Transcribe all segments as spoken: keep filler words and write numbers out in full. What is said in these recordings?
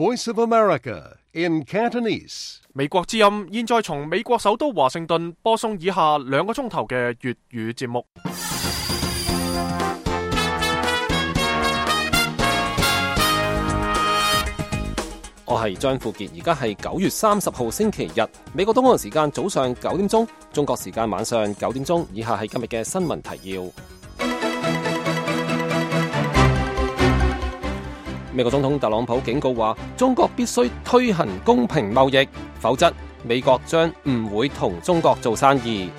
Voice of America in Cantonese。美國之音現在從美國首都華盛頓播送以下兩個鐘頭嘅粵語節目。我係張富傑，而家係九月三十號星期日，美國東岸時間早上九點鐘，中國時間晚上九點鐘。以下係今日嘅新聞提要。美國總統特朗普警告話，中國必須推行公平貿易，否則美國將唔會同中國做生意。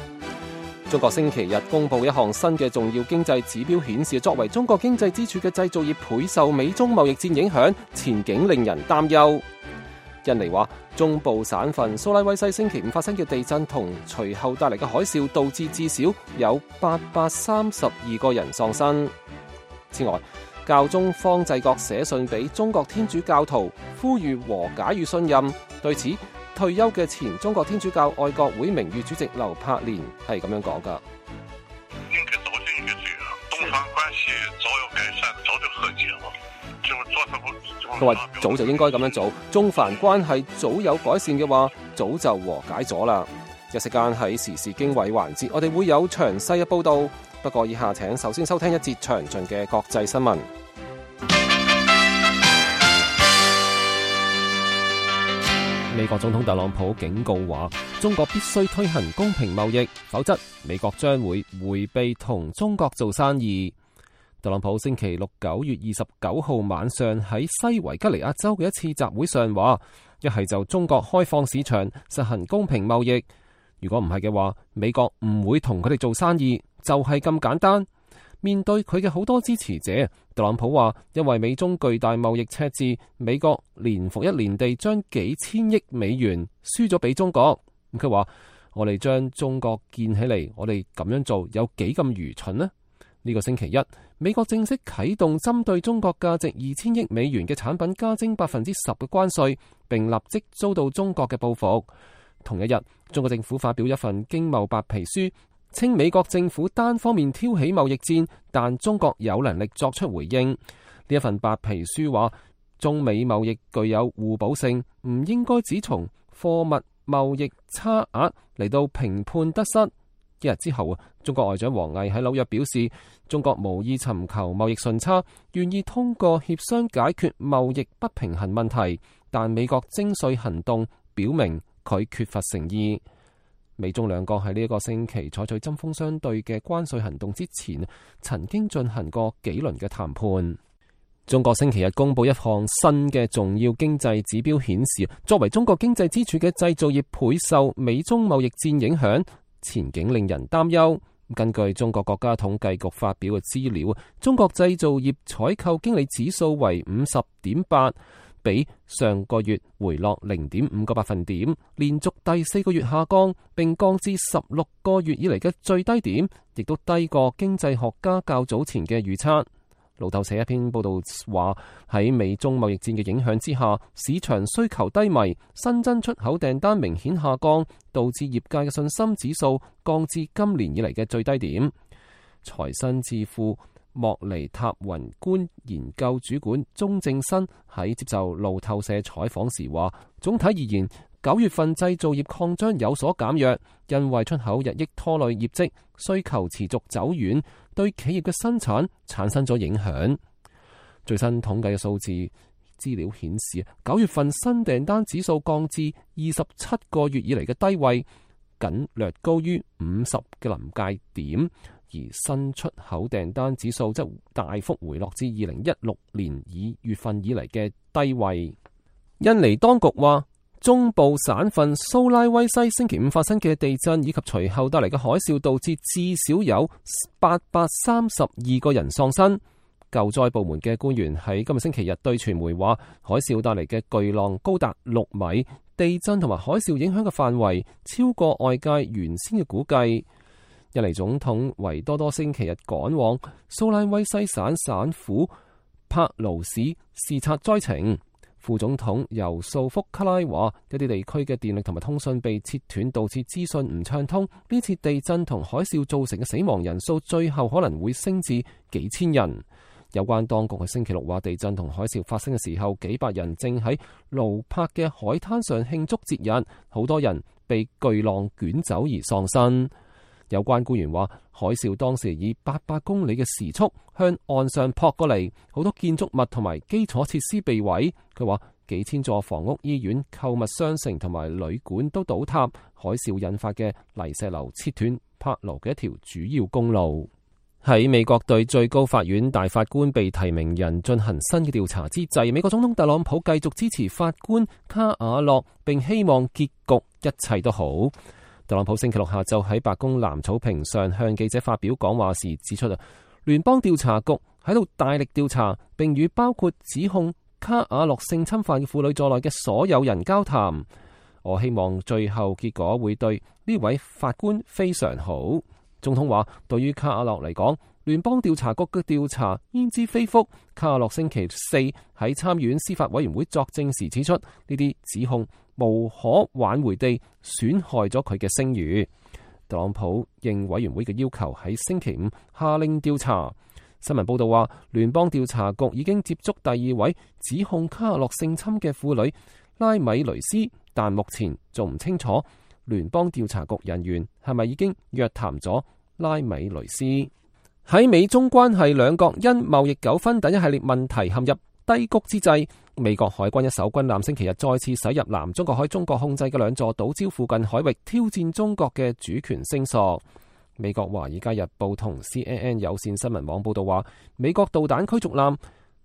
中國星期日公布一項新嘅重要經濟指標，顯示作為中國經濟支柱嘅製造業倍受美中貿易戰影響，前景令人擔憂。印尼話，中部省份蘇拉威西星期五發生嘅地震同隨後帶嚟嘅海嘯，導致至少有八百三十二個人喪生。此外，教宗方濟各寫信俾中國天主教徒，呼籲和解與信任。對此，退休嘅前中國天主教愛國會名譽主席劉柏年係咁樣講噶：應該早就應該這樣，中方關係早有改善，早就和解了。佢話早就應該咁樣做，中梵關係早有改善嘅話，早就和解咗啦。一息間喺時事經緯環節，我哋會有詳細嘅報道。不過以下請首先收聽一節詳盡嘅國際新聞。美國總統特朗普警告話，中國必須推行公平貿易，否則美國將會迴避同中國做生意。特朗普星期六九月二十九號晚上喺西維吉尼亞州嘅一次集會上話，一係就中國開放市場，實行公平貿易，如果唔係嘅話，美國唔會同佢哋做生意，就係咁簡單。面對佢嘅好多支持者，特朗普話，因為美中巨大貿易赤字，美國年復一年地將幾千億美元輸咗俾中國。佢話，我哋將中國建起嚟，我哋咁樣做有幾咁愚蠢呢？呢個星期一，美國正式啟動針對中國價值二千億美元嘅產品加徵百分之十嘅關稅，並立即遭到中國嘅報復。同一日，中國政府發表一份經貿白皮書，稱美國政府單方面挑起貿易戰，但中國有能力作出回應。呢一份白皮書話，中美貿易具有互補性，唔應該只從貨物貿易差額嚟到評判得失。一日之後啊，中國外長王毅喺紐約表示，中國無意尋求貿易順差，願意通過協商解決貿易不平衡問題，但美國徵稅行動表明佢缺乏誠意。美中兩國喺呢一個星期採取針鋒相對嘅關稅行動之前，曾經進行過幾輪嘅談判。中國星期日公布一項新嘅重要經濟指標，顯示作為中國經濟支柱嘅製造業倍受美中貿易戰影響，前景令人擔憂。根據中國國家統計局發表嘅資料，中國製造業採購經理指數為五十點八，比上個月回落零點五個百分點，連續第四個月下降，並降至十六個月以嚟嘅最低點，亦都低過經濟學家較早前嘅預測。路透社一篇報道話，喺美中貿易戰嘅影響之下，市場需求低迷，新增出口訂單明顯下降，導致業界嘅信心指數降至今年以嚟嘅最低點。財新智庫莫尼塔宏觀研究主管鐘正新喺接受路透社採訪時話，總體而言，九月份製造業擴張有所減弱，因為出口日益拖累業績，需求持續走遠，對企業嘅生產產生咗影響。最新統計嘅數字資料顯示，九月份新訂單指數降至二十七個月以嚟嘅低位，僅略高於五十嘅臨界點，而新出口訂單指數則大幅回落至二零一六年二月份以嚟嘅低位。印尼當局話，中部省份蘇拉威西星期五發生嘅地震以及隨後帶嚟嘅海嘯，導致至少有八百三十二個人喪生。救災部門嘅官員喺今日星期日對傳媒話，海嘯帶嚟嘅巨浪高達六米，地震同埋海嘯影響嘅範圍超過外界原先嘅估計。印尼總統維多多星期日趕往蘇拉威西省省府帕勞市視察災情。副總統尤素福卡拉話，一啲地區嘅電力同埋通訊被切斷，導致資訊唔暢通。呢次地震同海嘯造成嘅死亡人數最後可能會升至幾千人。有關當局喺星期六話，地震同海嘯發生嘅時候，幾百人正喺盧柏嘅海灘上慶祝節日，好多人被巨浪捲走而喪生。有關官員話，海嘯當時以八百公里嘅時速向岸上撲過嚟，好多建築物同埋基礎設施被毀。佢話幾千座房屋、醫院、購物商城同埋旅館都倒塌。海嘯引發嘅泥石流切斷柏勞嘅一條主要公路。喺美國對最高法院大法官被提名人進行新嘅調查之際，美國總統特朗普繼續支持法官卡瓦諾，並希望結局一切都好。特朗普星期六下晝喺白宮藍草坪上向記者發表講話時指出啊，聯邦調查局喺度大力調查，並與包括指控卡瓦諾性侵犯嘅婦女在內嘅所有人交談。我希望最後結果會對呢位法官非常好。總統話，對於卡瓦諾嚟講，聯邦調查局嘅調查焉知非福。卡瓦諾星期四喺參院司法委員會作證時指出，呢啲指控無可挽回地損害咗佢嘅聲譽。特朗普應委員會嘅要求，喺星期五下令調查。新聞報道話，聯邦調查局已經接觸第二位指控卡瓦諾性侵嘅婦女拉米雷斯，但目前仲唔清楚聯邦調查局人員係咪已經約談咗拉米雷斯。喺美中關係兩國因貿易糾紛等一系列問題陷入低谷之際，美國海軍一艘軍艦星期日再次駛入南中國海中國控制嘅兩座島礁附近海域，挑戰中國嘅主權聲索。美國華爾街日報同 C N N 有線新聞網報道話，美國導彈驅逐艦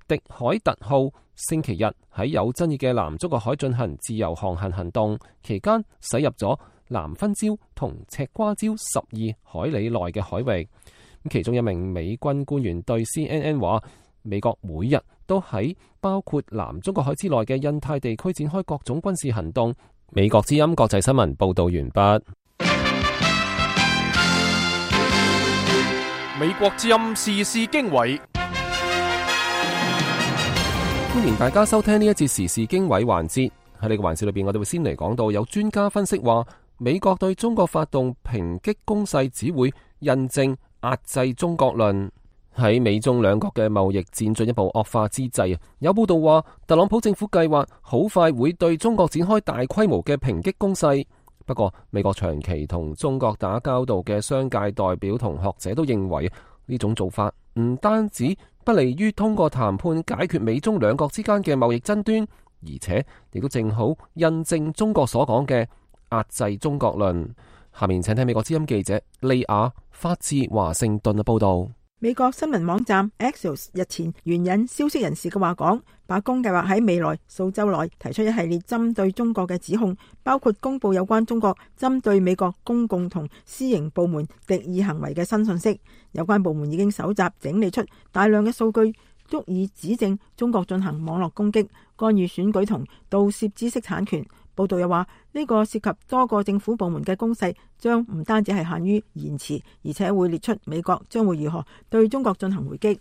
迪海特號星期日喺有爭議嘅南中國海進行自由航行行動，期間駛入咗南分礁同赤瓜礁十二海里內嘅海域。其中一名美軍官員對 C N N 話，美國每日都喺包括南中國海之內嘅印太地區展開各種軍事行動。美國之音國際新聞報道完畢。美國之音時事經緯，歡迎大家收聽呢一節時事經緯環節。喺呢個環節裏邊，我哋會先嚟講到有專家分析話，美國對中國發動抨擊攻勢只會印證壓制中國論。喺美中兩國嘅貿易戰進一步惡化之際，有報道話特朗普政府計劃好快會對中國展開大規模嘅抨擊攻勢。不過，美國長期同中國打交道嘅商界代表同學者都認為呢種做法唔單止不利於通過談判解決美中兩國之間嘅貿易爭端，而且亦都正好印證中國所講嘅壓制中國論。下面請聽美國之音記者利亞發自華盛頓嘅報道。美國新聞網站 Axios 日前援引消息人士嘅話講，白宮計劃喺未來數週內提出一系列針對中國嘅指控，包括公布有關中國針對美國公共同私營部門敵意行為嘅新信息。有關部門已經搜集整理出大量嘅數據，足以指證中國進行網絡攻擊、干預選舉同盜竊知識產權。報道又話，呢個涉及多個政府部門嘅攻勢將唔單止係限於言辭，而且會列出美國將會如何對中國進行回擊。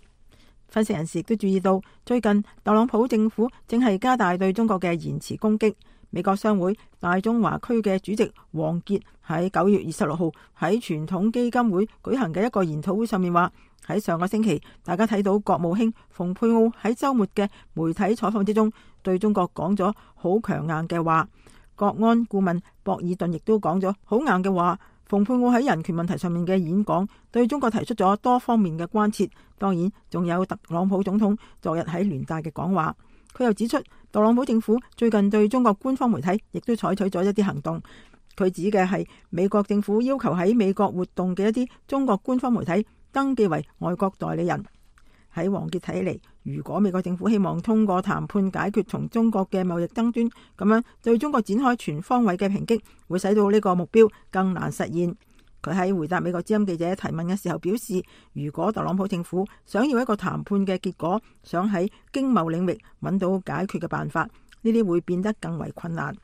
分析人士亦都注意到，最近特朗普政府正係加大對中國嘅言辭攻擊。美國商會大中華區嘅主席王傑喺九月二十六號喺傳統基金會舉行嘅一個研討會上面話，喺上個星期大家睇到國務卿蓬佩奧喺週末嘅媒體採訪之中對中國講咗好強硬嘅話。國安顧問博爾頓亦都講咗好硬嘅話。蓬佩奧喺人權問題上面嘅演講對中國提出咗多方面嘅關切，當然仲有特朗普總統昨日喺聯大嘅講話。佢又指出，特朗普政府最近對中國官方媒體亦都採取咗一啲行動。佢指嘅係美國政府要求喺美國活動嘅一啲中國官方媒體登記為外國代理人。喺王傑睇嚟，如果美國政府希望通過談判解決同中國嘅貿易爭端，咁樣對中國展開全方位嘅抨擊，會使到呢個目標更難實現。佢喺回答美國之音記者提問嘅時候表示，如果特朗普政府想要一個談判嘅結果，想喺經貿領域揾到解決嘅辦法，呢啲會變得更為困難。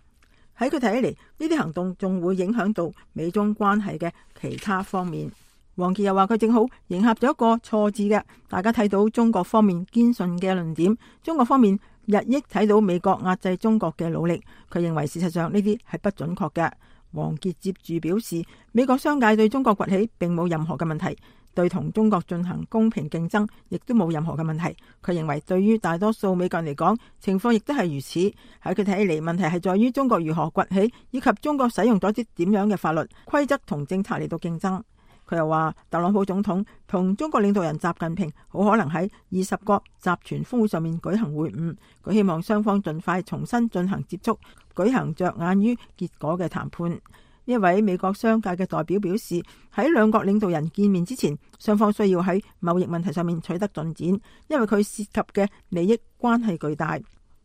喺佢睇嚟，呢啲行動仲會影響到美中關係嘅其他方面。王傑又話佢正好迎合咗一個錯字嘅，大家睇到中國方面堅信嘅論點，中國方面日益睇到美國壓制中國嘅努力，佢認為事實上呢啲係不準確嘅。王傑接住表示，美國商界對中國崛起並冇任何嘅問題，對同中國進行公平競爭亦都冇任何嘅問題。佢認為對於大多數美國人嚟講，情況亦都係如此。喺佢睇起嚟，問題係在於中國如何崛起，以及中國使用咗啲點樣嘅法律規則同政策嚟到競爭。佢又話，特朗普總統同中國領導人習近平好可能喺二十國集團峰會上面舉行會晤。佢希望雙方盡快重新進行接觸，舉行着眼於結果嘅談判。呢一位美國商界嘅代表表示，喺兩國領導人見面之前，雙方需要喺貿易問題上面取得進展，因為佢涉及嘅利益關係巨大。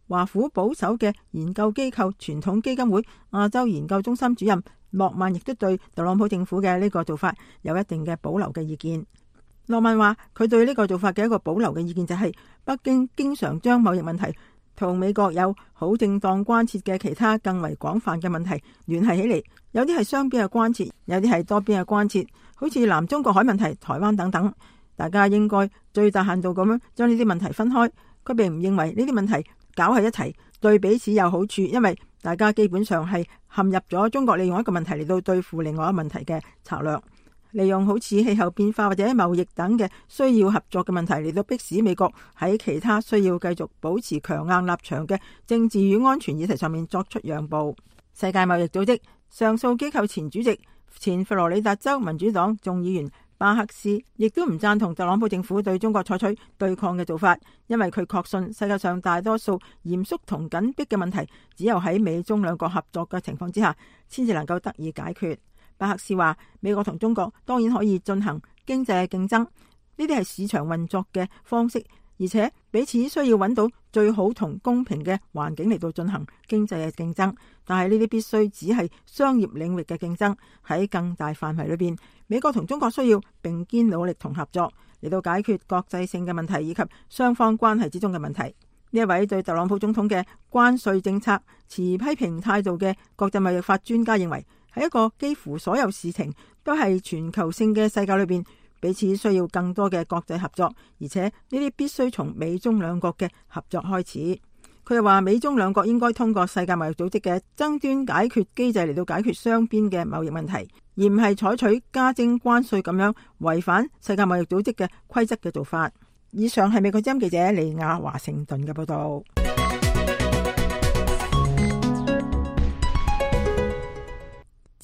華府保守嘅研究機構傳統基金會亞洲研究中心主任諾曼亦都對特朗普政府嘅呢個做法有一定嘅保留嘅意見。諾曼話，佢對呢個做法嘅一個保留嘅意見就係北京經常將貿易問題同美國有好正當關切嘅其他更為廣泛嘅問題聯繫起嚟，有啲係雙邊嘅關切，有啲係多邊嘅關切，好似南中國海問題、台灣等等。大家應該最大限度咁樣將呢啲問題分開。佢並唔認為呢啲問題搞喺一齊對彼此有好處，因為大家基本上係陷入咗中國利用一個問題嚟到對付另外一個問題嘅策略，利用好似氣候變化或者貿易等嘅需要合作嘅問題嚟到迫使美國喺其他需要繼續保持強硬立場嘅政治與安全議題上面作出讓步。世界貿易組織上訴機構前主席、前佛羅里達州民主黨眾議員巴克斯亦都唔贊同特朗普政府對中國採取對抗嘅做法，因為佢確信世界上大多數嚴肅同緊迫嘅問題，只有喺美中兩國合作嘅情況之下，先至能夠得以解決。巴克斯話，美國同中國當然可以進行經濟嘅競爭，呢啲係市場運作嘅方式，而且彼此需要揾到最好同公平嘅環境嚟到進行經濟嘅競爭，但係呢啲必須只係商業領域嘅競爭。喺更大範圍裏邊，美國同中國需要並肩努力同合作嚟到解決國際性嘅問題以及雙方關係之中嘅問題。呢一位對特朗普總統嘅關稅政策持批評態度嘅國際貿易法專家認為，喺一個幾乎所有事情都係全球性嘅世界裏邊，彼此需要更多嘅國際合作，而且呢啲必須從美中兩國嘅合作開始。佢又話，美中兩國應該通過世界貿易組織嘅爭端解決機制嚟到解決雙邊嘅貿易問題，而唔係採取加徵關稅咁樣違反世界貿易組織嘅規則嘅做法。以上係美國之音記者李亞華盛頓嘅報道。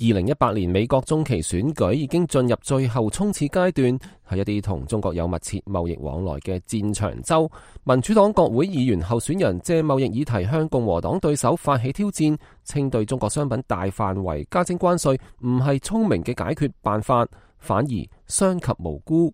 二零一八年美國中期選舉已經進入最後衝刺階段，喺一啲同中國有密切貿易往來嘅戰場州，民主黨國會議員候選人借貿易議題向共和黨對手發起挑戰，稱對中國商品大範圍加徵關稅唔係聰明嘅解決辦法，反而傷及無辜。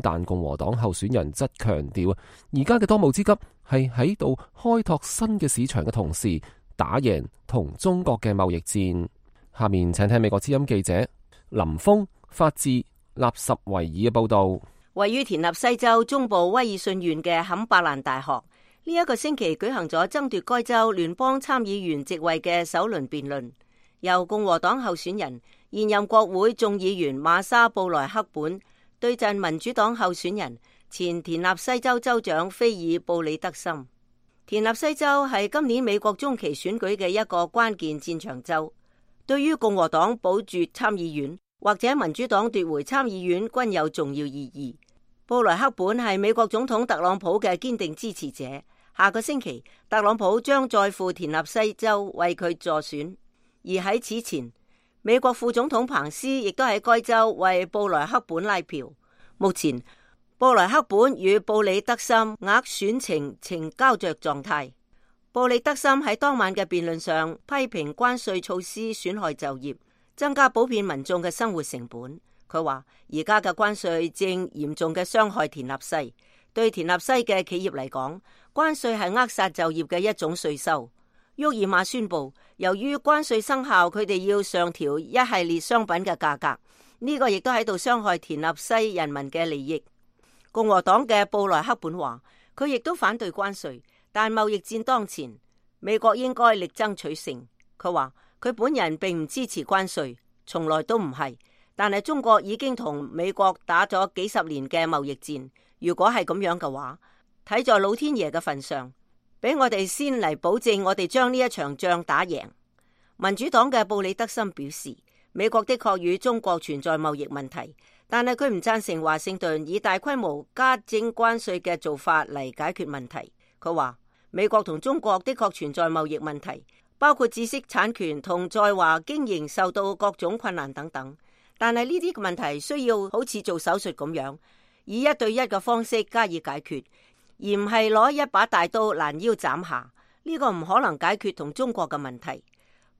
但共和黨候選人則強調，而家嘅當務之急係喺度開拓新嘅市場嘅同時，打贏同中國嘅貿易戰。下面請聽美國之音記者林峰發自納什維爾嘅報道。位於田納西州中部威爾遜縣嘅坎伯蘭大學呢一個星期舉行咗爭奪該州聯邦參議員席位嘅首輪辯論，由共和黨候選人現任國會眾議員瑪莎布萊克本對陣民主黨候選人前田納西州州長菲爾布里德森。田納西州係今年美國中期選舉嘅一個關鍵戰場州。對於共和黨保住參議院或者民主黨奪回參議院均有重要意義。布萊克本係美國總統特朗普嘅堅定支持者，下個星期特朗普將再赴田納西州為佢助選，而喺此前美國副總統彭斯亦都喺該州為布萊克本拉票。目前布萊克本與布里德森握選情呈膠着狀態。布里德森喺當晚嘅辯論上批評關稅措施損害就業，增加普遍民眾嘅生活成本。佢話而家嘅關稅正嚴重嘅傷害田納西，對田納西嘅企業嚟講，關稅係扼殺就業嘅一種稅收。沃爾瑪宣布，由於關稅生效，佢哋要上調一系列商品嘅價格，呢個亦都喺度傷害田納西人民嘅利益。共和黨嘅布萊克本話，佢亦都反對關稅。但貿易戰當前，美國應該力爭取勝。佢話佢本人並唔支持關稅，從來都唔係。但係中國已經同美國打咗幾十年嘅貿易戰，如果係咁樣嘅話，睇在老天爺嘅份上，俾我哋先嚟保證我哋將呢一場仗打贏。民主黨嘅布里德森表示，美國的確與中國存在貿易問題，但係佢唔贊成華盛頓以大規模加徵關稅嘅做法嚟解決問題。佢話美國同中國的確存在貿易問題，包括知識產權同在華經營受到各種困難等等。但係呢啲問題需要好似做手術咁樣，以一對一嘅方式加以解決，而唔係攞一把大刀攔腰斬下。呢個唔可能解決同中國嘅問題。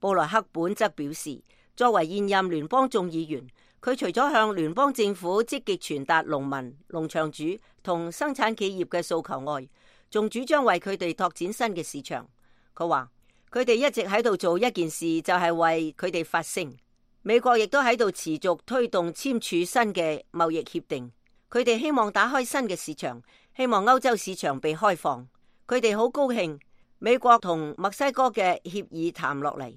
布萊克本則表示，作為現任聯邦眾議員，佢除咗向聯邦政府積極傳達農民、農場主同生產企業嘅訴求外，仲主張為佢哋拓展新嘅市場。佢話佢哋一直喺度做一件事，就係為佢哋發聲。美國亦都喺度持續推動簽署新嘅貿易協定。佢哋希望打開新嘅市場，希望歐洲市場被開放。佢哋好高興美國同墨西哥嘅協議談落嚟。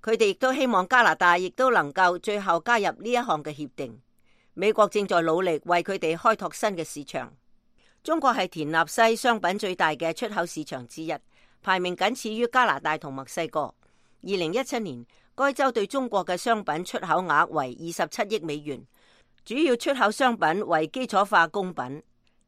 佢哋亦都希望加拿大亦都能夠最後加入呢一項嘅協定。美國正在努力為佢哋開拓新嘅市場。中國係田納西商品最大嘅出口市場之一，排名僅次於加拿大同墨西哥。二零一七年，該州對中國嘅商品出口額為二十七億美元，主要出口商品為基礎化工品、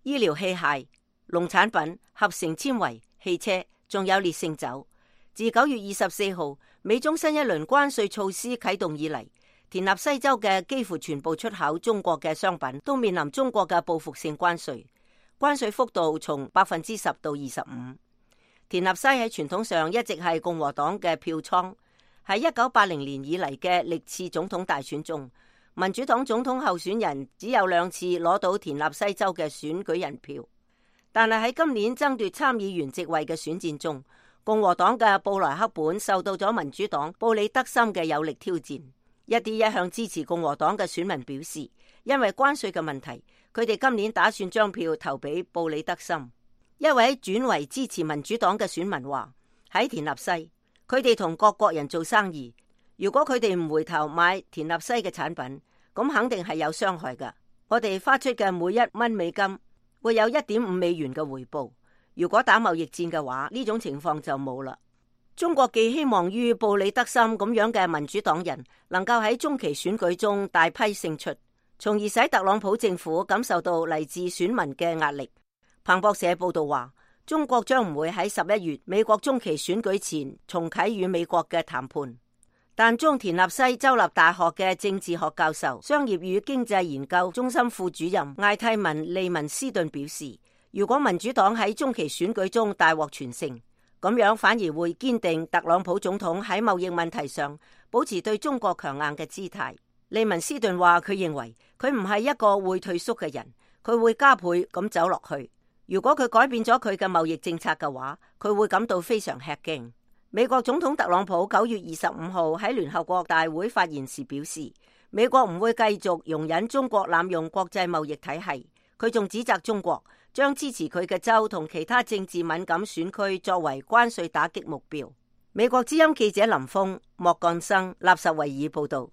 醫療器械、農產品、合成纖維、汽車，仲有烈性酒。自九月二十四號美中新一輪關稅措施啟動以嚟，田納西州嘅幾乎全部出口中國嘅商品都面臨中國嘅報復性關稅，關稅幅度從百分之十到二十五。田納西喺傳統上一直係共和黨嘅票倉，喺一九八零年以嚟嘅歷次總統大選中，民主黨總統候選人只有兩次攞到田納西州嘅選舉人票，但係喺今年爭奪參議員席位嘅選戰中，共和黨嘅布萊克本受到咗民主黨布里德森嘅有力挑戰。一啲一向支持共和黨嘅選民表示，因為關稅嘅問題，佢哋今年打算將票投俾布里德森。一位轉為支持民主黨嘅選民話，喺田納西，佢哋同各國人做生意，如果佢哋唔回頭買田納西嘅產品，咁肯定係有傷害㗎。我哋花出嘅每一蚊美金會有一點五美元嘅回報。如果打貿易戰嘅話，呢種情況就冇啦。中國寄希望於布里德森咁樣嘅民主黨人能夠喺中期選舉中大批勝出，從而使特朗普政府感受到嚟自選民嘅壓力。彭博社報道話，中國將唔會喺十一月美國中期選舉前重啟與美國嘅談判。但中田納西州立大學嘅政治學教授、商業與經濟研究中心副主任艾蒂文利文斯頓表示，如果民主黨喺中期選舉中大獲全勝，咁樣反而會堅定特朗普總統喺貿易問題上保持對中國強硬嘅姿態。利文斯頓話，佢認為佢唔係一個會退縮嘅人，佢會加倍咁走落去。如果佢改變咗佢嘅貿易政策嘅話，佢會感到非常吃驚。美國總統特朗普九月二十五號喺聯合國大會發言時表示，美國唔會繼續容忍中國濫用國際貿易體系。佢仲指責中國將支持佢嘅州同其他政治敏感選區作為關稅打擊目標。美國之音記者林峰、莫幹生、納什維爾報道。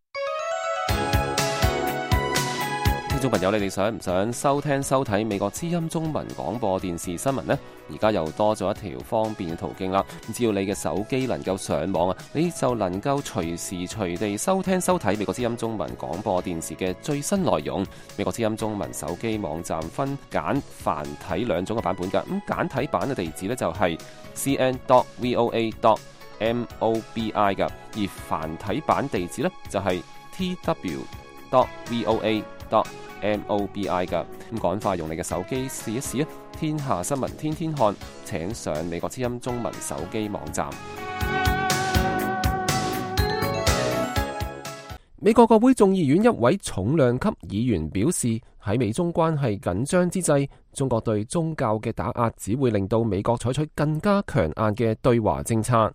聽眾朋友，你哋想唔想收聽收睇美國之音中文廣播電視新聞呢？而家又多咗一條方便嘅途徑啦。只要你嘅手機能夠上網啊，你就能夠隨時隨地收聽收睇美國之音中文廣播電視嘅最新內容。美國之音中文手機網站分簡繁體兩種嘅版本㗎。咁簡體版嘅地址呢，就係 c n dot v o a dot m o b i 㗎，而繁體版地址呢，就係 t w dot v o a dot m o b i 㗎。咁趕快用你嘅手機試一試啊！天下新聞天天看，請上美國之音中文手機網站。美國國會眾議院一位重量級議員表示，喺美中關係緊張之際，中國對宗教嘅打壓只會令到美國採取更加強硬嘅對華政策。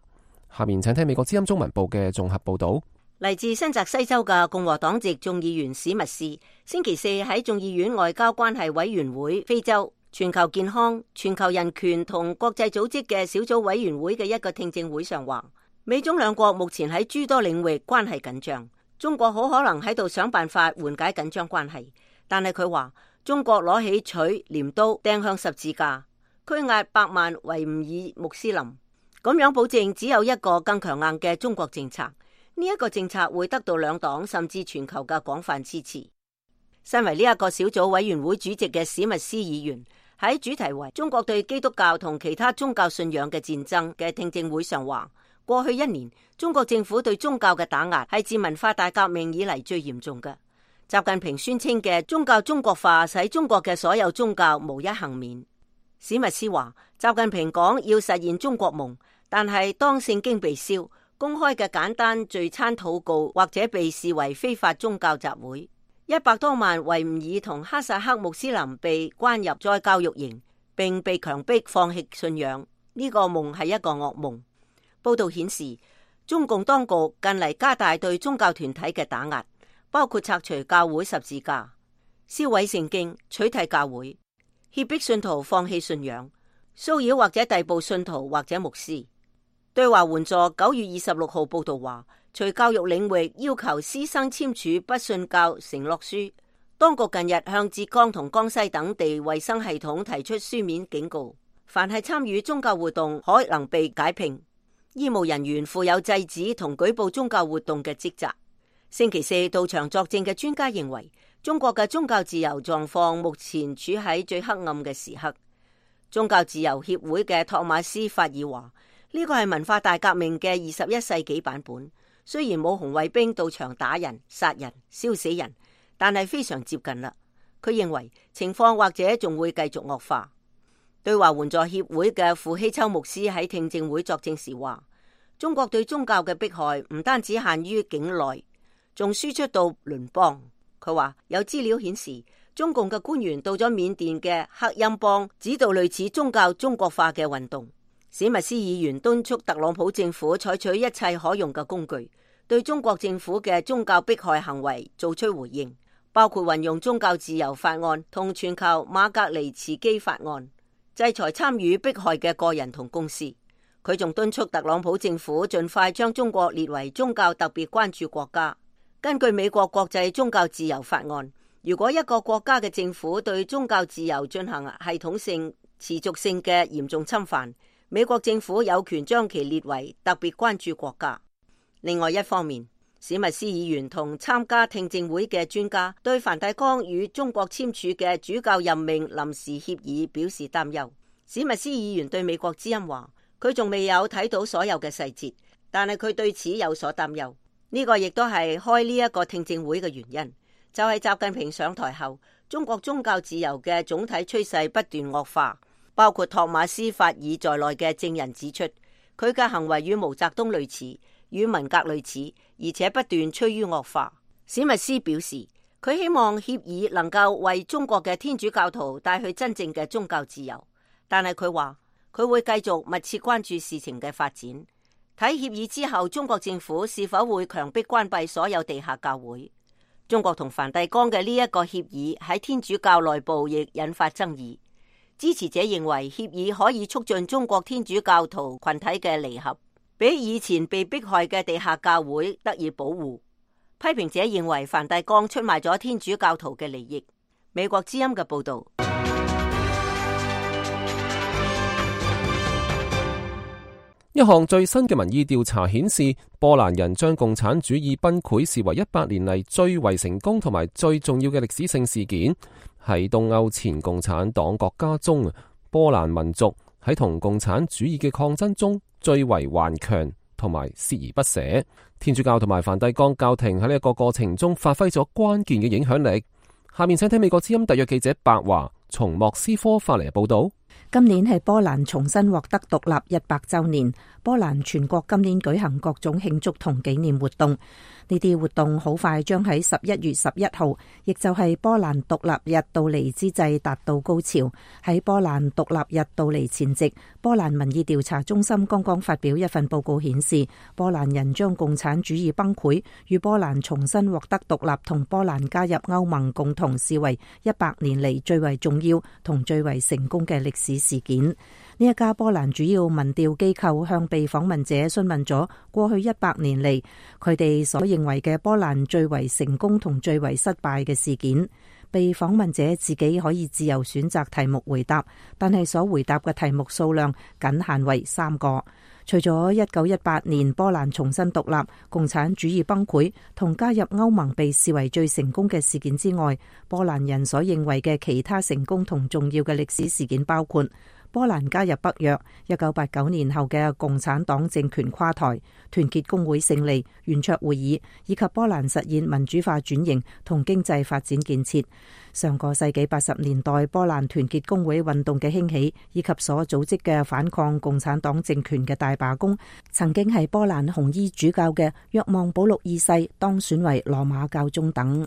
下面請聽美國之音中文部嘅綜合報道。嚟自新澤西州嘅共和黨籍眾議員史密斯星期四喺眾議院外交關係委員會非洲、全球健康、全球人權同國際組織嘅小組委員會嘅一個聽證會上話，美中兩國目前喺諸多領域關係緊張，中國好可能喺度想辦法緩解緊張關係。但係佢話，中國攞起錘鐮刀掟向十字架，拘押百萬維吾爾穆斯林，咁樣保證只有一個更強硬嘅中國政策。呢一個政策會得到兩黨甚至全球嘅廣泛支持。身為呢一個小組委員會主席嘅史密斯議員喺主題為中國對基督教同其他宗教信仰嘅戰爭嘅聽證會上話，過去一年中國政府對宗教嘅打壓係自文化大革命以嚟最嚴重嘅。習近平宣稱嘅宗教中國化使中國嘅所有宗教無一幸免。史密斯話，習近平講要實現中國夢，但係當聖經被燒，公開嘅簡單聚餐禱告或者被視為非法宗教集會。一百多萬維吾爾同哈薩克穆斯林被關入再教育營，並被強迫放棄信仰。呢個夢係一個噩夢。報道顯示，中共當局近嚟加大對宗教團體嘅打壓，包括拆除教會十字架、燒毀聖經、取締教會、脅迫信徒放棄信仰、騷擾或者逮捕信徒或者牧師。對華援助九月二十六號報道話，除教育領域要求師生簽署不信教承諾書。當局近日向浙江同江西等地衛生系統提出書面警告，凡係參與宗教活動可能被解聘。醫務人員負有制止同舉報宗教活動嘅職責。星期四到場作證嘅專家認為，中國嘅宗教自由狀況目前處喺最黑暗嘅時刻。宗教自由協會嘅托馬斯法爾話，呢個係文化大革命嘅二十一世紀版本。雖然冇紅衛兵到場打人、殺人、燒死人，但係非常接近啦。佢認為情況或者仲會繼續惡化。對華援助協會嘅傅希秋牧師喺聽證會作證時話，中國對宗教嘅迫害唔單止限於境內，仲輸出到鄰邦。佢話有資料顯示，中共嘅官員到咗緬甸嘅克欽邦，指導類似宗教中國化嘅運動。史密斯議員敦促特朗普政府採取一切可用嘅工具，對中國政府嘅宗教迫害行為做出回應，包括運用宗教自由法案同全球馬格尼茨基法案，制裁參與迫害嘅個人同公司。佢仲敦促特朗普政府盡快將中國列為宗教特別關注國家。根據美國國際宗教自由法案，如果一個國家嘅政府對宗教自由進行系統性、持續性嘅嚴重侵犯，美國政府有權將其列為特別關注國家。另外一方面，史密斯議員同參加聽證會嘅專家對梵蒂岡與中國簽署嘅主教任命臨時協議表示擔憂。史密斯議員對美國之音話，佢仲未有睇到所有嘅細節，但係佢對此有所擔憂。呢個亦都係開呢一個聽證會嘅原因，就係習近平上台後，中國宗教自由嘅總體趨勢不斷惡化。包括托馬斯法爾在內嘅證人指出，佢嘅行為與毛澤東類似，與文革類似，而且不斷趨於惡化。史密斯表示，佢希望協議能夠為中國嘅天主教徒帶去真正嘅宗教自由，但係佢話佢會繼續密切關注事情嘅發展，睇協議之後中國政府是否會強迫關閉所有地下教會。中國同梵蒂岡嘅呢一個協議喺天主教內部亦引發爭議。支持者認為協議可以促進中國天主教徒群體嘅離合，比以前被迫害嘅地下教會得以保護。批評者認為梵蒂岡出賣咗天主教徒嘅利益。美國之音嘅報道。一項最新嘅民意調查顯示，波蘭人將共產主義崩潰視為一百年嚟最為成功同埋最重要嘅歷史性事件。喺東歐前共產黨國家中，波蘭民族喺同共產主義嘅抗爭中最為頑強同埋鍥而不捨。天主教同埋梵蒂岡教廷喺呢一個過程中發揮咗關鍵嘅影響力。下面請聽美國之音特約記者白華從莫斯科發嚟嘅報道。今年係波蘭重新獲得獨立一百週年，波蘭全國今年舉行各種慶祝同紀念活動。呢啲活動好快將喺十一月十一號，亦就係波蘭獨立日到嚟之際達到高潮。喺波蘭獨立日到嚟前夕，波蘭民意調查中心剛剛發表一份報告顯示，波蘭人將共產主義崩潰與波蘭重新獲得獨立同波蘭加入歐盟共同視為一百年嚟最為重要同最為成功嘅歷史事件。呢一家波蘭主要民調機構向被訪問者詢問咗過去一百年嚟佢哋所認為嘅波蘭最為成功同最為失敗嘅事件。被訪問者自己可以自由選擇題目回答，但係所回答嘅題目數量僅限為三個。除咗一九一八年波蘭重新獨立、共產主義崩潰同加入歐盟被視為最成功嘅事件之外，波蘭人所認為嘅其他成功同重要嘅歷史事件包括波蘭加入北約、一九八九年後嘅共產黨政權垮台、團結工會勝利、圓桌會議，以及波蘭實現民主化轉型同經濟發展建設。上個世紀八十年代波蘭團結工會運動嘅興起，以及所組織嘅反抗共產黨政權嘅大罷工，曾經係波蘭紅衣主教嘅若望保祿二世當選為羅馬教宗等。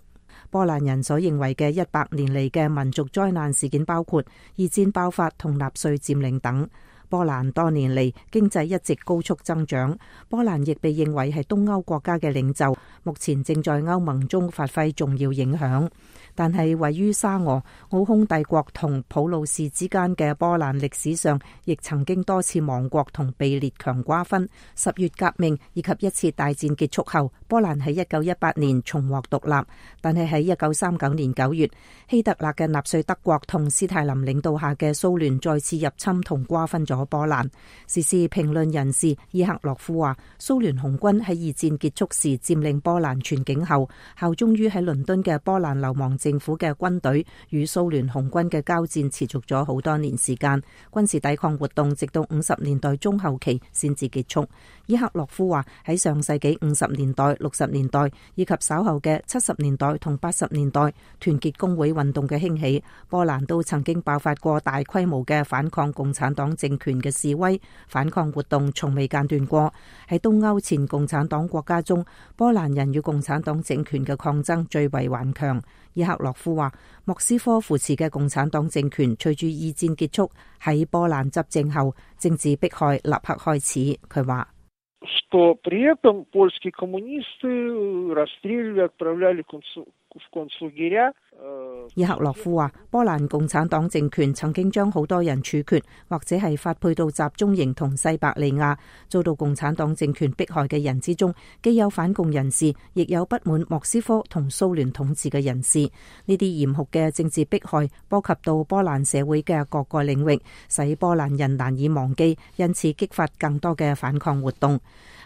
波蘭人所認為嘅一百年嚟嘅民族災難事件包括二戰爆發同納粹佔領等。波蘭多年嚟經濟一直高速增長，波蘭亦被認為係東歐國家嘅領袖，目前正在歐盟中發揮重要影響。但係位於沙俄、奧匈帝國同普魯士之間嘅波蘭歷史上，亦曾經多次亡國同被列強瓜分。十月革命以及一次大戰結束後，波蘭喺一九一八年重獲獨立，但係喺一九三九年九月，希特勒嘅納粹德國同斯泰林領導下嘅蘇聯再次入侵同瓜分咗波蘭。時事評論人士伊克洛夫話，蘇聯紅軍喺二戰結束時佔領波蘭全境後，效忠於喺倫敦嘅波蘭流亡政府嘅軍隊與蘇聯紅軍嘅交戰持續咗好多年時間，軍事抵抗活動直到五十年代中後期先至結束。伊克洛夫話，喺上世紀五十年代、六十年代以及稍後嘅七十年代同八十年代，團結工會運動嘅興起，波蘭都曾經爆發過大規模嘅反抗共產黨政權嘅示威，反抗活動從未間斷過。喺東歐前共產黨國家中，波蘭人與共產黨政權嘅抗爭最為頑強。伊克洛夫話，莫斯科扶持嘅共產黨政權隨住二戰結束喺波蘭執政後，政治迫害立刻開始。佢話，что при этом польские коммунисты расстреливали, отправляли в концлагеря。伊克洛夫話，波蘭共產黨政權曾經將好多人處決，或者係發配到集中營同西伯利亞。遭到共產黨政權迫害嘅人之中，既有反共人士，亦有不滿莫斯科同蘇聯統治嘅人士。呢啲嚴酷嘅政治迫害波及到波蘭社會嘅各個領域，使波蘭人難以忘記，因此激發更多嘅反抗活動。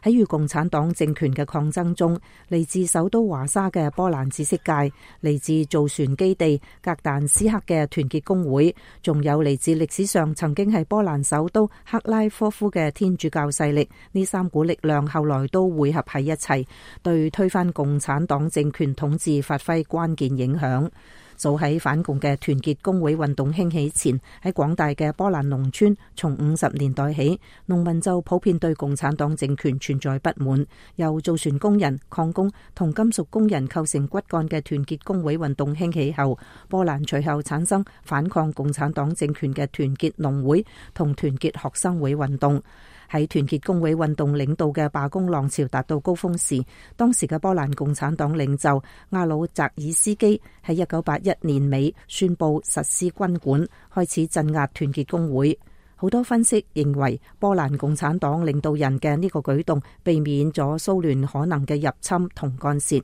喺與共產黨政權嘅抗爭中，嚟自首都華沙嘅波蘭知識界，嚟自造船基地格但斯克嘅團結工會，仲有嚟自歷史上曾經係波蘭首都克拉科夫嘅天主教勢力，呢三股力量後來都匯合喺一齊，對推翻共產黨政權統治發揮關鍵影響。早喺反共嘅團結工會運動興起前，喺廣大嘅波蘭農村，從五十年代起，農民就普遍對共產黨政權存在不滿。由造船工人、礦工同金屬工人構成骨幹嘅團結工會運動興起後，波蘭隨後產生反抗共產黨政權嘅團結農會同團結學生會運動。喺團結工會運動領導嘅罷工浪潮達到高峰時，當時嘅波蘭共產黨領袖亞魯澤爾斯基喺一九八一年尾宣布實施軍管，開始鎮壓團結工會。好多分析認為，波蘭共產黨領導人嘅呢個舉動避免咗蘇聯可能嘅入侵同干涉。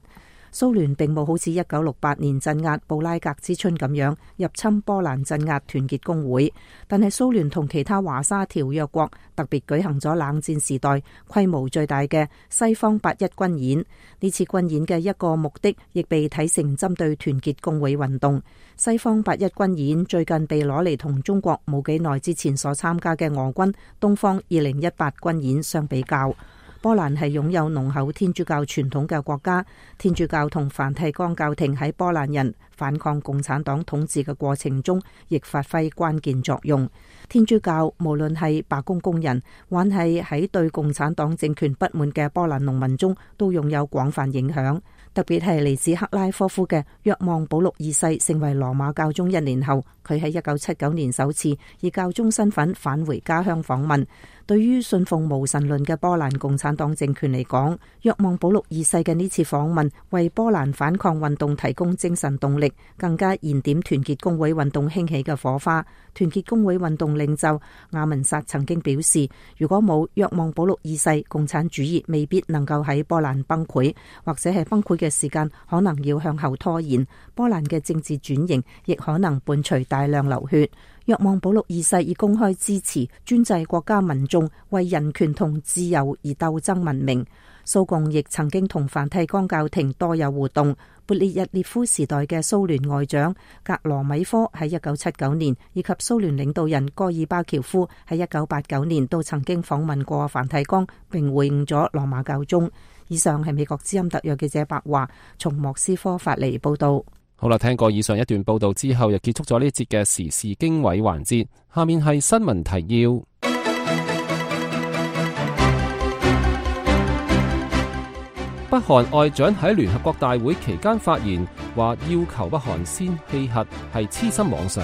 蘇聯並冇好似一九六八年鎮壓布拉格之春咁樣入侵波蘭鎮壓團結工會，但係蘇聯同其他華沙條約國特別舉行咗冷戰時代規模最大嘅西方八一軍演。呢次軍演嘅一個目的亦被睇成針對團結工會運動。西方八一軍演最近被攞嚟同中國冇幾耐之前所參加嘅俄軍東方二零一八軍演相比較。波蘭係擁有濃厚天主教傳統嘅國家，天主教同梵蒂岡教廷喺波蘭人反抗共產黨統治嘅過程中，亦發揮關鍵作用。天主教無論係罷工工人，還係喺對共產黨政權不滿嘅波蘭農民中，都擁有廣泛影響。特別係嚟自克拉科夫嘅若望保祿二世成為羅馬教宗一年後，佢喺一九七九年首次以教宗身份返回家鄉訪問。對於信奉無神論嘅波蘭共產黨政權嚟講，若望保祿二世嘅呢次訪問為波蘭反抗運動提供精神動力，更加燃點團結工會運動興起嘅火花。團結工會運動領袖亞文薩曾經表示，如果冇若望保祿二世，共產主義未必能夠喺波蘭崩潰，或者係崩潰嘅時間可能要向後拖延。波蘭嘅政治轉型亦可能伴隨大量流血。若望保祿二世已公開支持專制國家民眾為人權同自由而鬥爭聞名。蘇共亦曾經同梵蒂岡教廷多有互動。勃列日涅夫時代嘅蘇聯外長格羅米科喺一九七九年，以及蘇聯領導人戈爾巴喬夫喺一九八九年都曾經訪問過梵蒂岡，並會晤咗羅馬教宗。以上係美國之音特約記者白華從莫斯科發嚟報道。好啦，聽過以上一段報道之後，又結束咗呢一節嘅時事經緯環節。下面係新聞提要。北韓外長喺聯合國大會期間發言，話要求北韓先棄核係痴心妄想。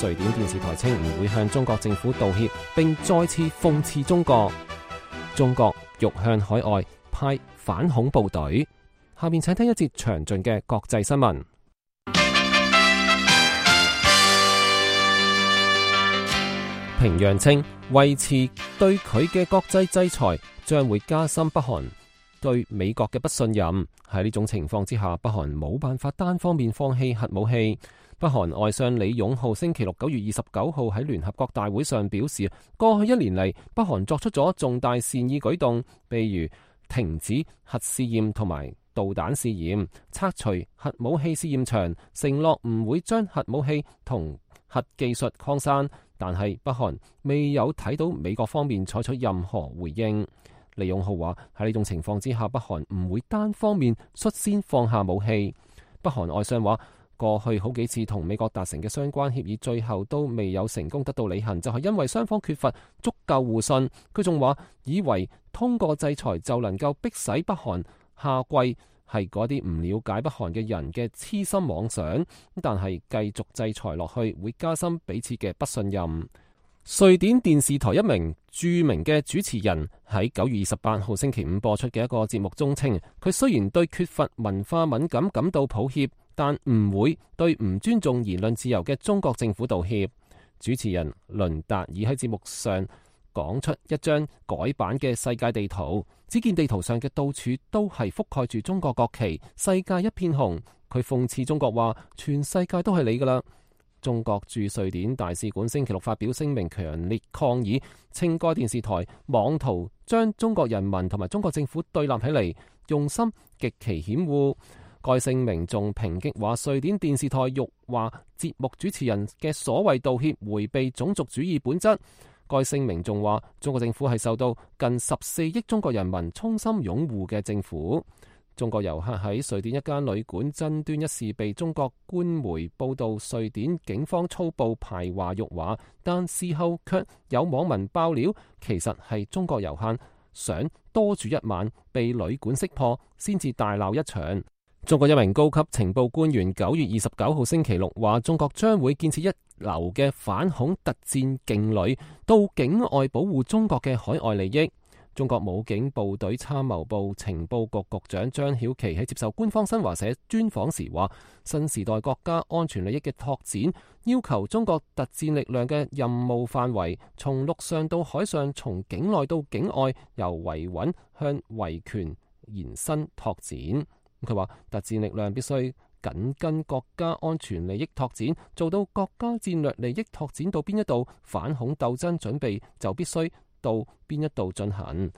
瑞典電視台稱唔會向中國政府道歉，並再次諷刺中國。中國欲向海外派反恐部隊。下面請聽一節詳盡嘅國際新聞。平壤稱維持對佢嘅國際制裁，將會加深北韓對美國嘅不信任。喺呢種情況之下，北韓冇辦法單方面放棄核武器。北韓外相李勇浩星期六九月二十九號喺聯合國大會上表示，過去一年嚟，北韓作出咗重大善意舉動，譬如停止核試驗同埋導彈試驗，拆除核武器試驗場，承諾唔會將核武器同核技術擴散。但係北韓未有睇到美國方面採取任何回應。李勇浩話，喺呢種情況之下，北韓唔會單方面率先放下武器。北韓外相話，過去好幾次同美國達成嘅相關協議，最後都未有成功得到履行，就係因為雙方缺乏足夠互信。佢仲話，以為通過制裁就能夠迫使北韓下跪，係嗰啲唔了解北韓嘅人嘅痴心妄想。但係繼續制裁落去，會加深彼此嘅不信任。瑞典電視台一名著名嘅主持人喺九月二十八號星期五播出嘅一個節目中稱，佢雖然對缺乏文化敏感感到抱歉，但唔會對唔尊重言論自由嘅中國政府道歉。主持人倫達爾喺節目上講出一張改版嘅世界地圖，只見地圖上嘅到處都係覆蓋住中國國旗，世界一片紅。佢諷刺中國話，全世界都係你㗎喇。中國駐瑞典大使館星期六發表聲明，強烈抗議，稱該電視台妄圖將中國人民同埋中國政府對立起嚟，用心極其險惡。該聲明仲抨擊話，瑞典電視台辱華節目主持人嘅所謂道歉，迴避種族主義本質。該聲明仲話，中國政府係受到近十四億中國人民衷心擁護嘅政府。中國遊客喺瑞典一間旅館爭端一事被中國官媒報道，瑞典警方粗暴排華辱華，但事後卻有網民爆料，其實係中國遊客想多住一晚，被旅館識破，先至大鬧一場。中國一名高級情報官員九月二十九號星期六話，中國將會建設一流嘅反恐特戰勁旅到境外保護中國嘅海外利益。中國武警部隊參謀部情報局局長張曉琪喺接受官方新華社專訪時話，新時代國家安全利益嘅拓展，要求中國特戰力量嘅任務範圍從陸上到海上，從境內到境外，由維穩向維權延伸拓展。佢話，特戰力量必須緊跟國家安全利益拓展，做到國家戰略利益拓展到邊一度，反恐鬥爭準備就必須到邊一度進行。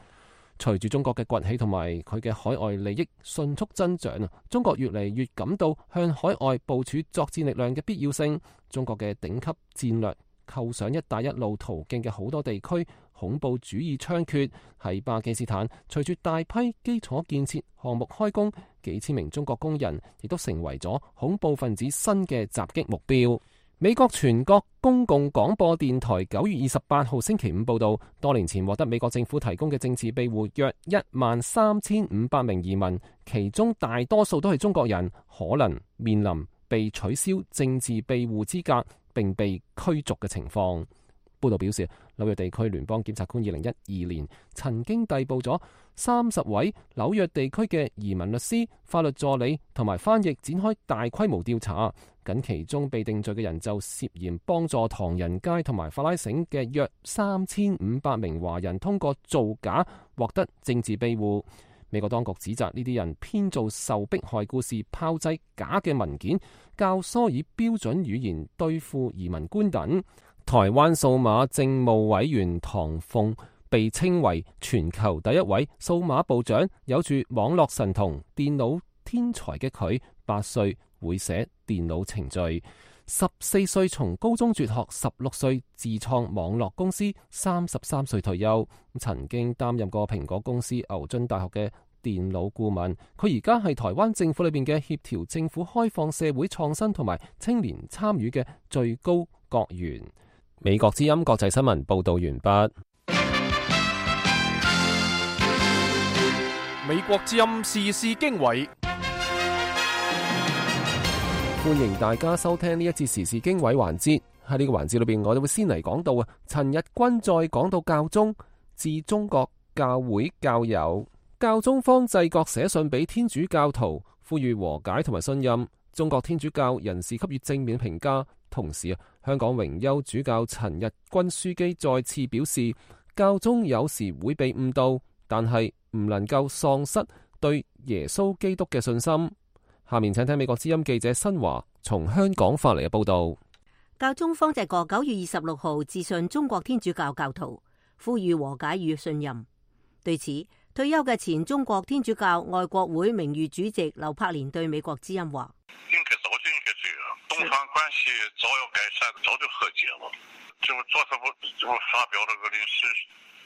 隨住中國嘅崛起同埋佢嘅海外利益迅速增長啊，中國越嚟越感到向海外部署作戰力量嘅必要性。中國嘅頂級戰略構想一帶一路途徑嘅好多地區，恐怖主義猖獗。喺巴基斯坦，隨住大批基礎建設項目開工，幾千名中國工人亦都成為咗恐怖分子新嘅襲擊目標。美國全國公共廣播電台九月二十八號星期五報道，多年前獲得美國政府提供嘅政治庇護約一萬三千五百名移民，其中大多數都係中國人，可能面臨被取消政治庇護資格並被驅逐嘅情況。報道表示，紐約地區聯邦檢察官二零一二年曾經逮捕咗三十位紐約地區嘅移民律師、法律助理同埋翻譯，展開大規模調查。僅其中被定罪嘅人就涉嫌幫助唐人街同埋法拉盛嘅約三千五百名華人通過造假獲得政治庇護。美國當局指責呢啲人編造受迫害故事，炮製假嘅文件，教唆以標準語言對付移民官等。台灣數碼政務委員唐鳳被稱為全球第一位數碼部長，有住網絡神童、電腦天才嘅佢，八歲會寫電腦程序，十四歲從高中輟學，十六歲自創網絡公司，三十三歲退休。曾經擔任過蘋果公司牛津大學嘅電腦顧問。佢而家係台灣政府裏邊嘅協調政府開放社會創新同埋青年參與嘅最高閣員。美國之音國際新聞報道完畢。美國之音時事經緯，歡迎大家收聽呢一節時事經緯環節。喺呢個環節裏邊，我哋會先嚟講到啊，陳日君再講到教宗致中國教會教友，教宗方濟各寫信俾天主教徒，呼籲和解同埋信任。中國天主教人士給予正面評價。同時啊，香港榮休主教陳日君樞機再次表示，教宗有時會被誤導，但係唔能夠喪失對耶穌基督嘅信心。下面請聽美國之音記者新華從香港發嚟嘅報道。教宗方濟各九月二十六號致信中國天主教教徒，呼籲和解與信任。對此，退休嘅前中國天主教愛國會名譽主席劉柏蓮對美國之音話：應該早就應該這樣，東方關係早有改善，早就和解了。就昨天不就發表了個臨時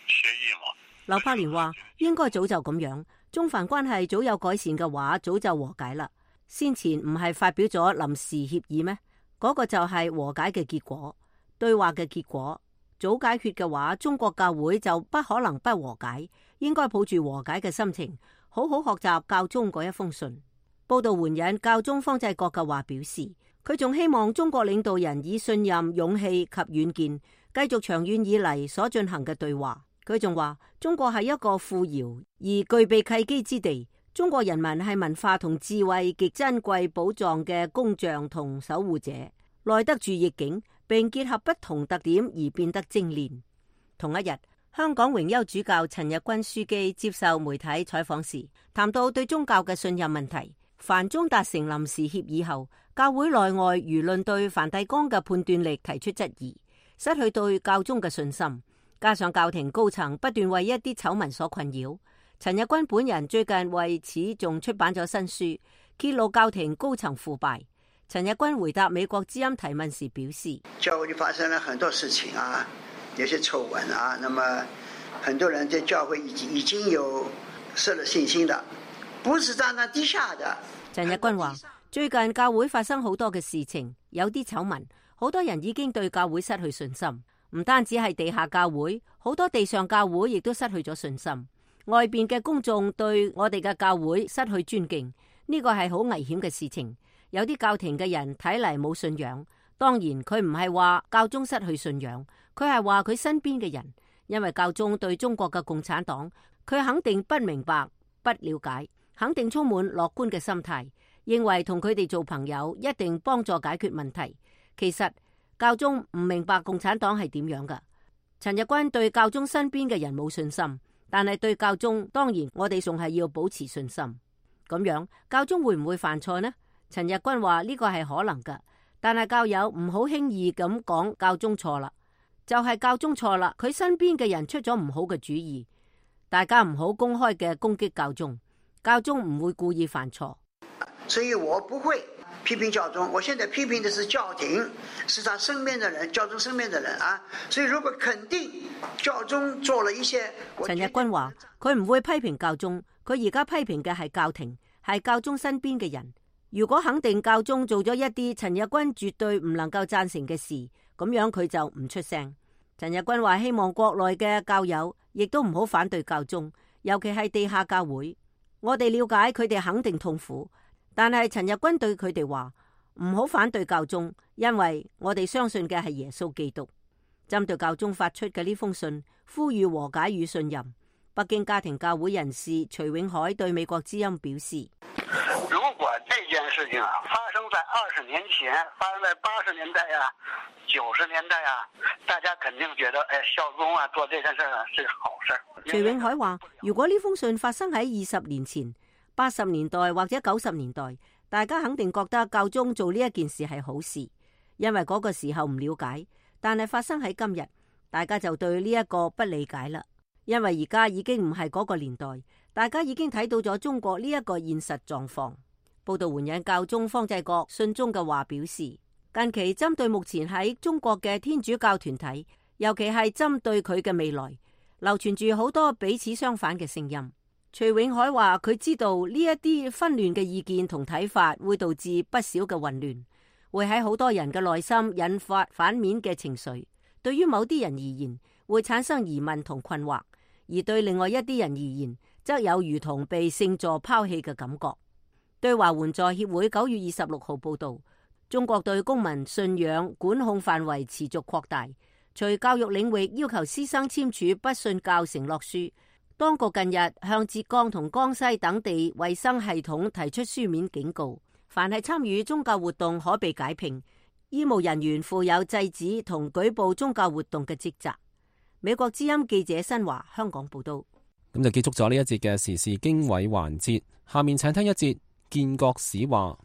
協議嘛？劉柏蓮話：應該早就咁樣，中梵關係早有改善嘅話，早就和解啦。先前唔係發表咗臨時協議咩？嗰個就係和解嘅結果，對話嘅結果。早解決嘅話，中國教會就不可能不和解，應該抱住和解嘅心情，好好學習教宗嗰一封信。報道援引教宗方濟各嘅話表示，佢仲希望中國領導人以信任、勇氣及遠見，繼續長遠以嚟所進行嘅對話。佢仲話，中國係一個富饒而具備契機之地。中國人民係文化同智慧極珍貴寶藏嘅工匠同守護者，耐得住逆境，並結合不同特點而變得精煉。同一日，香港榮休主教陳日君樞機接受媒體採訪時，談到對宗教嘅信任問題。梵中達成臨時協議後，教會內外輿論對梵蒂岡嘅判斷力提出質疑，失去對教宗嘅信心。加上教廷高層不斷為一啲醜聞所困擾。陳日君本人最近為此仲出版咗新書，揭露教廷高層腐敗。陳日君回答美國之音提問時表示：教會發生了很多事情啊，有些醜聞啊，那麼很多人對教會已經已經有失了信心的，不是站在低下的。陳日君話：最近教會發生好多嘅事情，有啲醜聞，好多人已經對教會失去信心。唔單止係地下教會，好多地上教會亦都失去咗信心。外邊嘅公眾對我哋嘅教會失去尊敬，呢個係好危險嘅事情。有啲教廷嘅人睇嚟冇信仰，當然佢唔係話教宗失去信仰，佢係話佢身邊嘅人，因為教宗對中國嘅共產黨，佢肯定不明白、不了解，肯定充滿樂觀嘅心態，認為同佢哋做朋友一定幫助解決問題。其實教宗唔明白共產黨係點樣噶。陳日君對教宗身邊嘅人冇信心。但係對教宗，當然我哋仲係要保持信心。咁樣教宗會唔會犯錯呢？陳日君話呢個係可能噶，但係教友唔好輕易咁講教宗錯啦，就係教宗錯啦，佢身邊嘅人出咗唔好嘅主意，大家唔好公開嘅攻擊教宗，教宗唔會故意犯錯。所以我不會批評教宗，我現在批評的是教廷，是他身邊的人，教宗身邊的人啊。所以如果肯定教宗做了一些，陳日君話佢唔會批評教宗，佢而家批評嘅係教廷，係教宗身邊嘅人。如果肯定教宗做咗一啲陳日君絕對唔能夠贊成嘅事，咁樣佢就唔出聲。陳日君話希望國內嘅教友亦都唔好反對教宗，尤其係地下教會。我哋了解佢哋肯定痛苦。但係陳日君對佢哋話唔好反對教宗，因為我哋相信嘅係耶穌基督。針對教宗發出嘅呢封信，呼籲和解與信任，北京家庭教會人士徐永海對美國之音表示：如果這件事情發生在二十年前，發生在八十年代啊、九十年代啊，大家肯定覺得，誒，孝宗啊做這件事啊是好事。徐永海話：如果呢封信發生喺二十年前、八十年代或者九十年代，大家肯定覺得教宗做呢一件事係好事，因為嗰個時候唔了解。但係發生喺今日，大家就對呢一個不理解啦。因為而家已經唔係嗰個年代，大家已經睇到咗中國呢一個現實狀況。報道援引教宗方濟各信中嘅話表示，近期針對目前喺中國嘅天主教團體，尤其係針對佢嘅未來，流傳住好多彼此相反嘅聲音。徐永海話佢知道呢一啲紛亂嘅意見同睇法會導致不少嘅混亂，會喺好多人嘅內心引發反面嘅情緒。對於某啲人而言，會產生疑問同困惑。而對另外一啲人而言，則有如同被聖座拋棄嘅感覺。對華援助協會九月二十六號報道，中國對公民信仰管控範圍持續擴大，除教育領域要求師生簽署不信教承諾書，當局近日向浙江同江西等地衛生系統提出書面警告，凡係參與宗教活動可被解聘，醫務人員負有制止同舉報宗教活動嘅職責。美國之音記者新華香港報道。咁就結束咗呢一節嘅時事經緯環節，下面請聽一節建國史話。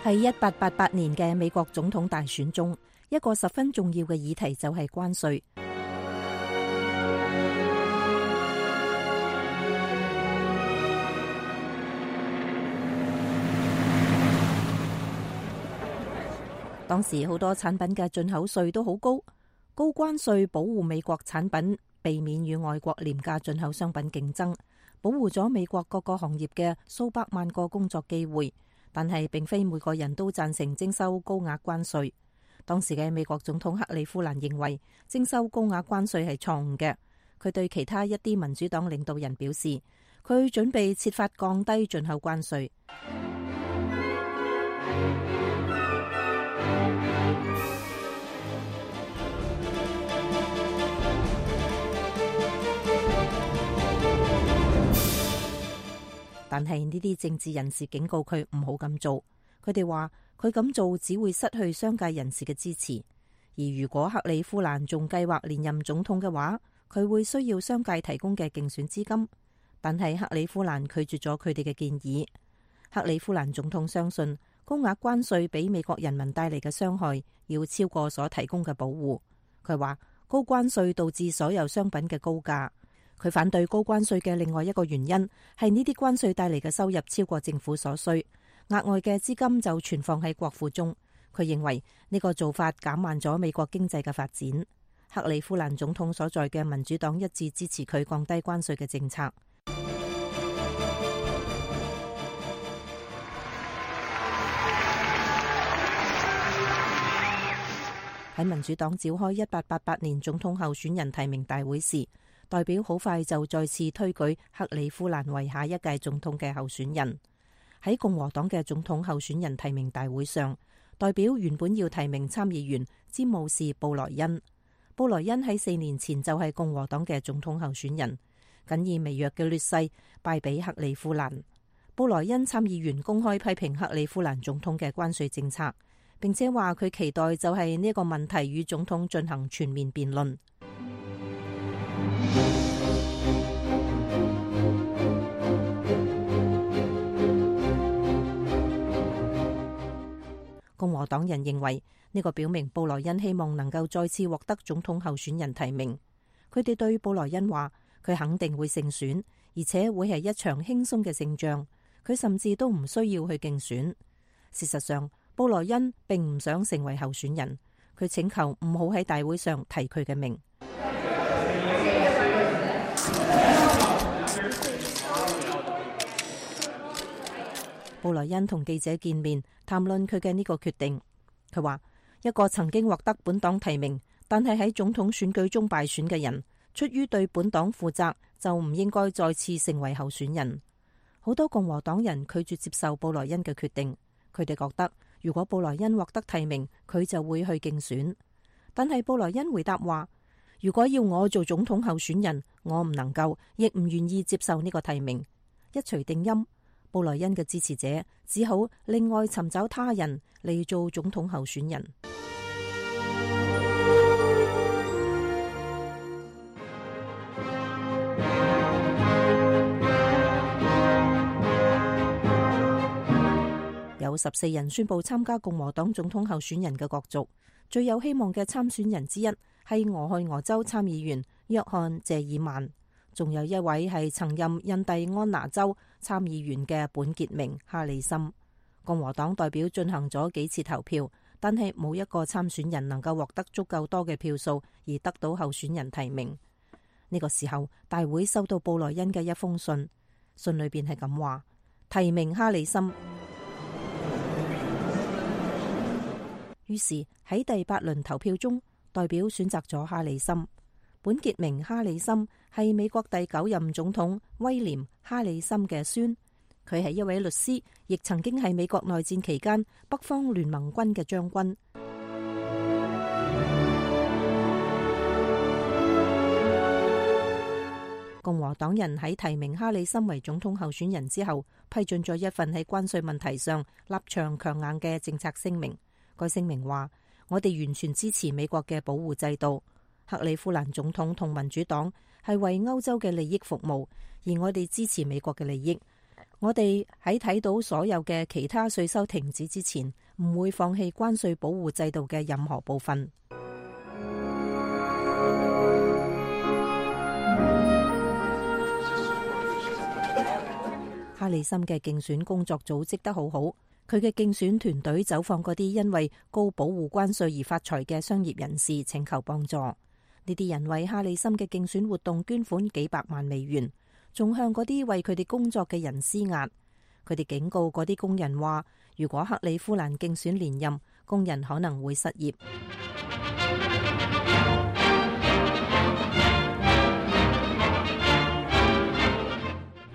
喺一八八八年嘅美國總統大選中，一個十分重要嘅議題就係關稅。當時好多產品嘅進口稅都好高，高關稅保護美國產品避免與外國廉價進口商品競爭，保護咗美國各個行業嘅數百萬個工作機會。但係並非每個人都贊成徵收高額關稅。當時嘅美國總統克里夫蘭認為徵收高額關稅係錯誤嘅。佢對其他一啲民主黨領導人表示，佢準備設法降低進口關稅。但係呢啲政治人士警告佢唔好咁做，佢哋話佢咁做只會失去商界人士嘅支持，而如果克里夫蘭仲計劃連任總統嘅話，佢會需要商界提供嘅競選資金。但係克里夫蘭拒絕咗佢哋嘅建議。克里夫蘭總統相信高額關稅俾美國人民帶嚟嘅傷害要超過所提供嘅保護。佢話高關稅導致所有商品嘅高價。佢反對高關稅嘅另外一個原因係呢啲關稅帶嚟嘅收入超過政府所需，額外嘅資金就存放喺國庫中。佢認為呢個做法減慢咗美國經濟嘅發展。克里夫蘭總統所在嘅民主黨一致支持佢降低關稅嘅政策。喺民主黨召開一八八八年總統候選人提名大會時，代表好快就再次推舉克里夫蘭為下一屆總統嘅候選人。喺共和黨嘅總統候選人提名大會上，代表原本要提名參議員詹姆士布萊恩。布萊恩喺四年前就係共和黨嘅總統候選人，僅以微弱嘅劣勢敗俾克里夫蘭。布萊恩參議員公開批評克里夫蘭總統嘅關稅政策，並且話佢期待就係呢個問題與總統進行全面辯論。共和黨人認為呢個表明布萊恩希望能夠再次獲得總統候選人提名。佢哋對布萊恩話，佢肯定會勝選，而且會係一場輕鬆嘅勝仗。佢甚至都唔需要去競選。事實上，布萊恩並唔想成為候選人，佢請求唔好喺大會上提佢嘅名。布萊恩同記者見面，談論佢嘅呢個決定。佢話，一個曾經獲得本黨提名，但係喺總統選舉中敗選嘅人，出於對本黨負責，就唔應該再次成為候選人。好多共和黨人拒絕接受布萊恩嘅決定，佢哋覺得如果布萊恩獲得提名，佢就會去競選。但係布萊恩回答話，如果要我做總統候選人，我唔能夠，亦唔願意接受呢個提名。一錘定音，布萊恩嘅支持者只好另外尋找他人嚟做總統候選人。有十四人宣布參加共和黨總統候選人嘅角逐，最有希望嘅參選人之一係俄亥俄州參議員約翰謝爾曼，仲有一位係曾任印第安納州參議員嘅本傑明哈里森。共和黨代表進行咗幾次投票，但係冇一個參選人能夠獲得足夠多嘅票數而得到候選人提名。呢個時候，大會收到布萊恩嘅一封信，信裏邊係咁話：提名哈里森。於是喺第八輪投票中，代表選擇咗哈里森。本傑明哈里森係美國第九任總統威廉哈里森嘅孫，佢係一位律師，亦曾經係美國內戰期間北方聯盟軍嘅將軍。共和黨人喺提名哈里森為總統候選人之後，批准咗一份喺關稅問題上立場強硬嘅政策聲明。該聲明話：我哋完全支持美國嘅保護制度。克里夫蘭總統同民主黨係為歐洲嘅利益服務，而我哋支持美國嘅利益。我哋喺睇到所有嘅其他稅收停止之前，唔會放棄關稅保護制度嘅任何部分。哈里森嘅競選工作組織得好好。佢嘅競選團隊走訪嗰啲因為高保護關稅而發財嘅商業人士，請求幫助。呢啲人為哈里森嘅競選活動捐款幾百萬美元，仲向嗰啲為佢哋工作嘅人施壓。佢哋警告嗰啲工人話，如果克里夫蘭競選連任，工人可能會失業。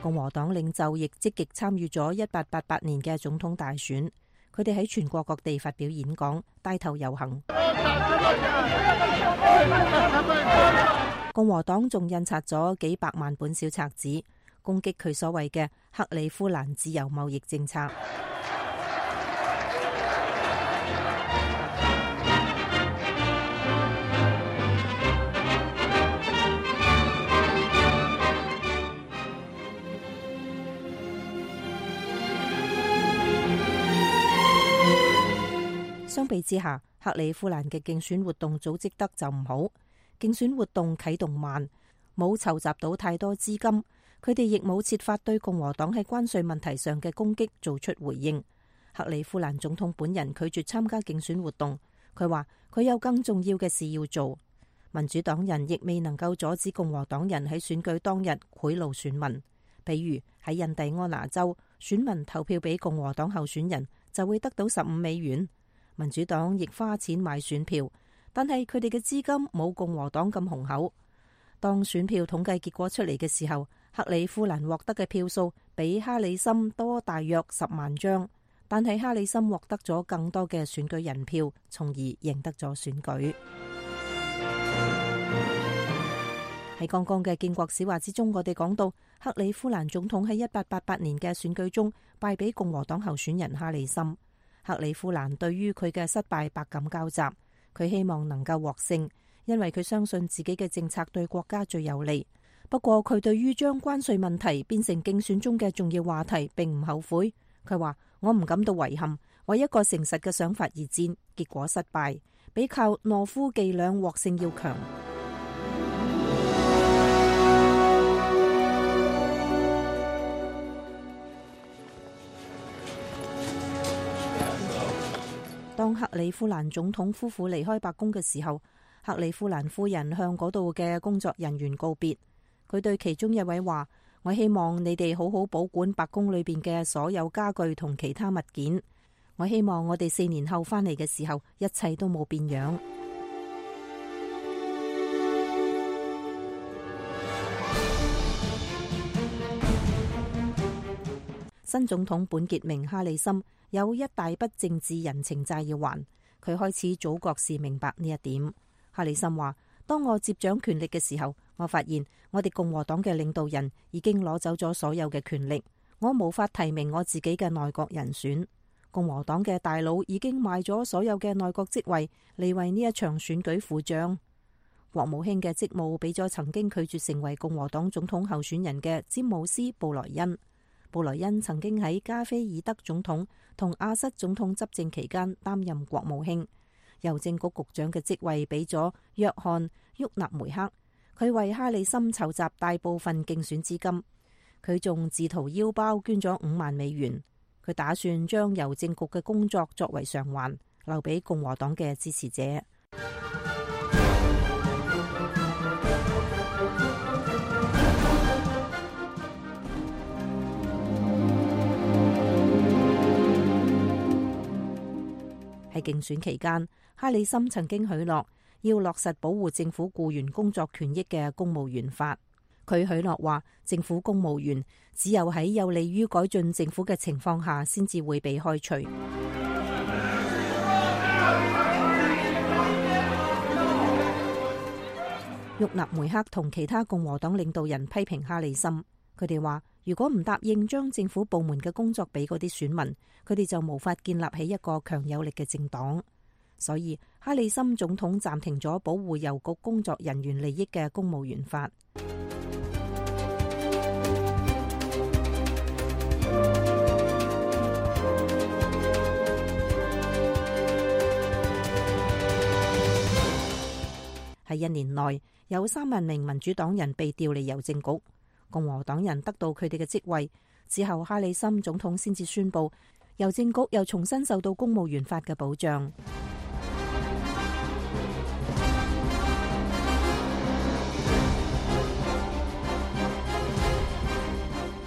共和黨領袖亦積極參與咗一八八八年嘅總統大選，佢哋喺全國各地發表演講，帶頭遊行。共和黨仲印刷咗幾百萬本小冊子，攻擊佢所謂嘅克里夫蘭自由貿易政策。相比之下，克里夫蘭嘅競選活動組織得就唔好，競選活動啟動慢，冇籌集到太多資金，佢哋亦冇設法對共和黨喺關稅問題上嘅攻擊做出回應。克里夫蘭總統本人拒絕參加競選活動，佢話佢有更重要嘅事要做。民主黨人亦未能夠阻止共和黨人喺選舉當日賄賂選民，比如喺印第安納州，選民投票俾共和黨候選人就會得到十五美元。民主黨亦花錢買選票，但係佢哋嘅資金冇共和黨咁雄厚。當選票統計結果出嚟嘅時候，克里夫蘭獲得嘅票數比哈里森多大約十萬張，但係哈里森獲得咗更多嘅選舉人票，從而贏得咗選舉。喺剛剛嘅建國史話之中，我哋講到克里夫蘭總統喺一八八八年嘅選舉中敗俾共和黨候選人哈里森。克里夫蘭對於佢嘅失敗百感交集，佢希望能夠獲勝，因為佢相信自己嘅政策對國家最有利。不過佢對於將關稅問題變成競選中嘅重要話題並唔後悔。佢話：我唔感到遺憾，為一個誠實嘅想法而戰，結果失敗，比靠懦夫伎倆獲勝要強。當克里夫蘭總統夫婦離開白宮嘅時候，克里夫蘭夫人向嗰度嘅工作人員告別。佢對其中一位話：我希望你哋好好保管白宮裏邊嘅所有家具同其他物件。我希望我哋四年後翻嚟嘅時候，一切都冇變樣。新總統本傑明哈里森有一大筆政治人情債要還，佢開始早覺示明白呢一點。哈里森話：當我接掌權力嘅時候，我發現我哋共和黨嘅領導人已經攞走咗所有嘅權力，我無法提名我自己嘅內閣人選。共和黨嘅大佬已經賣咗所有嘅內閣職位嚟為呢一場選舉付賬。國務卿嘅職務俾咗曾經拒絕成為共和黨總統候選人嘅詹姆斯·布萊恩。布萊恩曾經喺加菲爾德總統同阿瑟總統執政期間擔任國務卿。郵政局局長嘅職位俾咗約翰·沃納梅克，佢為哈里森籌集大部分競選資金。佢仲自掏腰包捐咗五萬美元。佢打算將郵政局嘅工作作為償還，留俾共和黨嘅支持者。喺競選期間，哈里森曾經許諾要落實保護政府僱員工作權益嘅公務員法。佢許諾話，政府公務員只有喺有利於改進政府嘅情況下，先至會被開除。沃納梅克同其他共和黨領導人批評哈里森，佢哋話如果唔答應將政府部門嘅工作俾嗰啲選民，佢哋就無法建立起一個強有力嘅政黨。所以哈里森總統暫停咗保護郵局工作人員利益嘅公務員法。喺一年內，有三萬名民主黨人被調離郵政局，共和黨人得到佢哋嘅職位之後，哈里森總統先至宣布郵政局又重新受到公務員法嘅保障。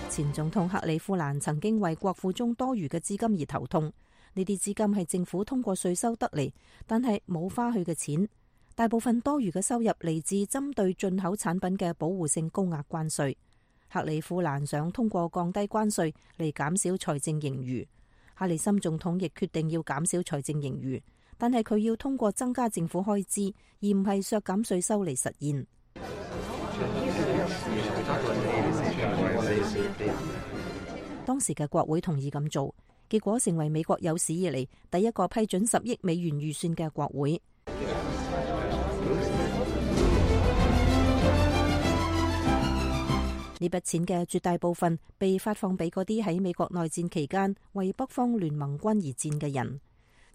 前總統克里夫蘭曾經為國庫中多餘嘅資金而頭痛，呢啲資金係政府通過稅收得嚟，但係冇花去嘅錢。大部分多餘嘅收入嚟自針對進口產品嘅保護性高額關稅。克里夫蘭想通過降低關稅嚟減少財政盈餘，哈里森總統亦決定要減少財政盈餘，但係佢要通過增加政府開支，而唔係削減稅收嚟實現。當時嘅國會同意咁做，結果成為美國有史以嚟第一個批准十億美元預算嘅國會。呢筆錢嘅絕大部分被發放俾嗰啲喺美國內戰期間為北方聯盟軍而戰嘅人。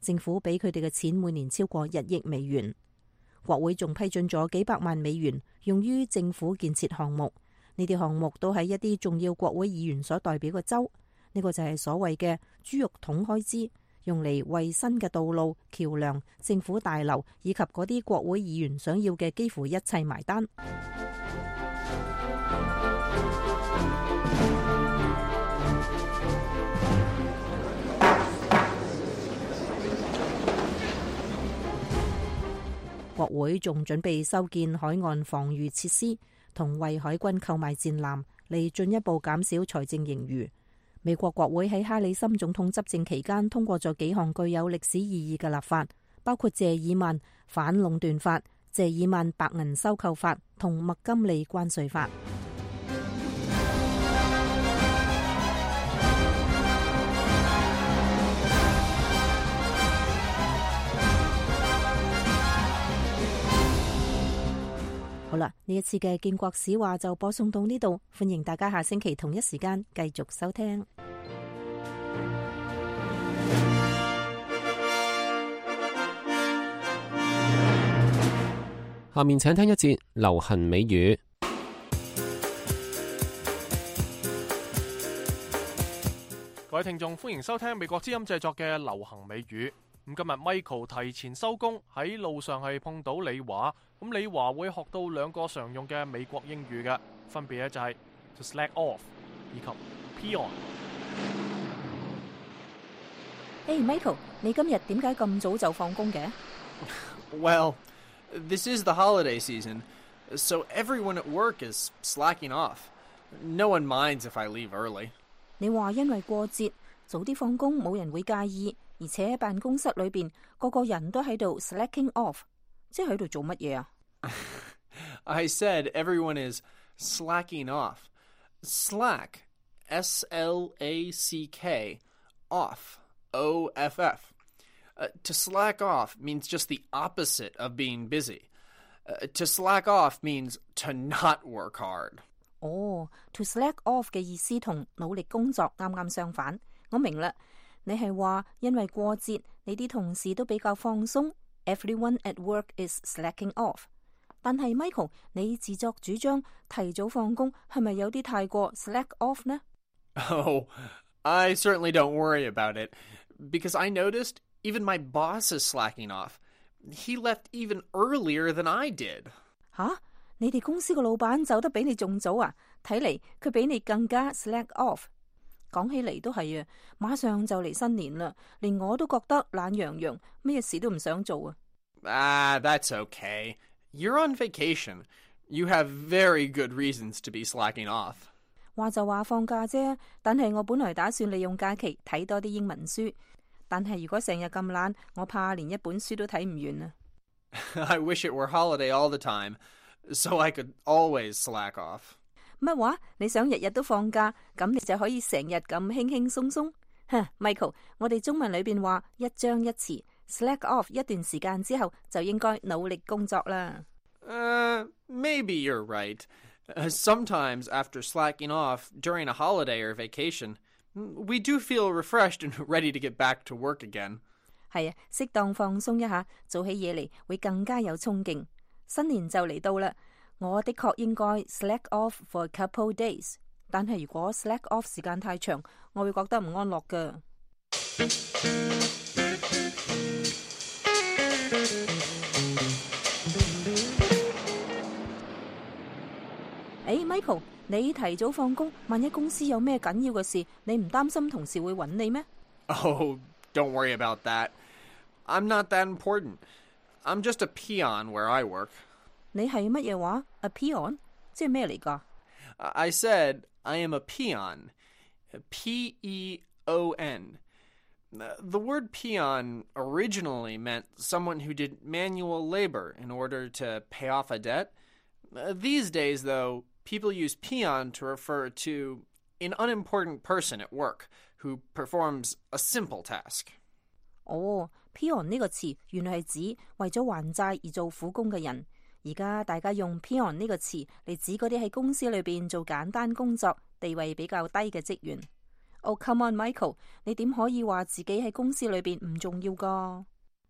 政府俾佢哋嘅錢每年超過一億美元。國會仲批准咗幾百萬美元用於政府建設項目。呢啲項目都係一啲重要國會議員所代表嘅州。呢個就係所謂嘅豬肉桶開支，用嚟為新嘅道路、橋樑、政府大樓以及嗰啲國會議員想要嘅幾乎一切埋單。國會仲準備修建海岸防禦設施，同為海軍購買戰艦，嚟進一步減少財政盈餘。美國國會喺哈里森總統執政期間通過咗幾項具有歷史意義嘅立法，包括謝爾曼反壟斷法、謝爾曼白銀收購法同麥金利關稅法。好啦，呢一次嘅建國史話就播送到呢度，歡迎大家下星期同一時間繼續收聽。下面請聽一節流行美語。各位聽眾，歡迎收聽美國之音製作嘅流行美語。咁今日 Michael 提前收工，喺路上係碰到李華，咁李華會學到兩個常用嘅美國英語嘅，分別咧就係 to slack off 以及 pee on。Hey Michael，你今日點解咁早就放工嘅？ Well, this is the holiday season, so everyone at work is slacking off. No one minds if I leave early. 你話因為過節早啲放工冇人會介意，而且喺辦公室裏邊個個人都喺度 slacking off， 即係喺度做乜嘢啊？ I said everyone is slacking off. Slack, S L A C K, off, O F F. Uh, to slack off means just the opposite of being busy. Uh, to slack off means to not work hard. 哦 to slack off 嘅意思同努力工作啱啱相反。我明啦，你係話因為過節，你啲同事都比較放鬆。Everyone at work is slacking off。但係 Michael， 你自作主張提早放工，係咪有啲太過 slack off 呢？ Oh, I certainly don't worry about it, because I noticed even my boss is slacking off. He left even earlier than I did. 吓，你哋公司個老闆走得比你仲早啊？睇嚟佢比你更加 slack off。講起嚟都係啊，馬上就嚟新年啦，連我都覺得懶洋洋，咩事都唔想做啊。Ah, that's okay. You're on vacation. You have very good reasons to be slacking off. 話就話放假啫，但係我本來打算利用假期睇多啲英文書，但係如果成日咁懶，我怕連一本書都睇唔完啊。I wish it were holiday all the time, so I could always slack off. 乜話？你想日日都放假，咁你就可以成日咁輕輕鬆鬆？哼 ，Michael， 我哋中文裏邊話一張一詞 ，slack off 一段時間之後就應該努力工作啦。Uh, maybe you're right. Uh, sometimes after slacking off during a holiday or vacation, we do feel refreshed and ready to get back to work again. 係啊，適當放鬆一下，做起嘢嚟會更加有衝勁。新年就嚟到啦，我的確應該 slack off for a couple days， 但係如果 slack off 時間太長，我會覺得唔安樂㗎。誒 ，Michael， 你提早放工，萬一公司有咩緊要嘅事，你唔擔心同事會揾你咩？ Oh, don't worry about that. I'm not that important. I'm just a peon where I work. 你係乜嘢話 ？A peon？ 即係咩嚟㗎？ I said I am a peon. P E O N. The word peon originally meant someone who did manual labor in order to pay off a debt. These days, though, people use peon to refer to an unimportant person at work who performs a simple task. 哦 peon 呢個詞原來係指為咗還債而做苦工嘅人。而家大家用 peon 呢個詞嚟指嗰啲喺公司裏邊做簡單工作、地位比較低嘅職員。Oh, come on, Michael， 你點可以話自己喺公司裏邊唔重要㗎？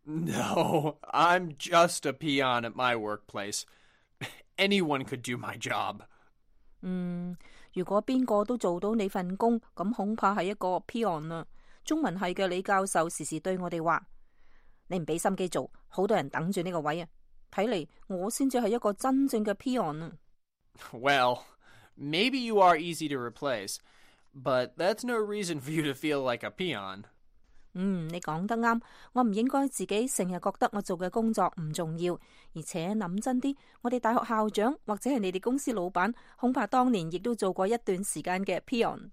No, I'm just a peon at my workplace. Anyone could do my job. 嗯，如果邊個都做到你份工，咁恐怕係一個 peon 啦。中文系嘅李教授時時對我哋話：你唔俾心機做，好多人等住呢個位啊！睇嚟我先至係一個真正嘅 peon 啊。Well, maybe you are easy to replace, but that's no reason for you to feel like a peon. 嗯，你講得啱，我唔應該自己成日覺得我做嘅工作唔重要，而且諗真啲，我哋大學校長或者係你哋公司老闆，恐怕當年亦都做過一段時間嘅 peon。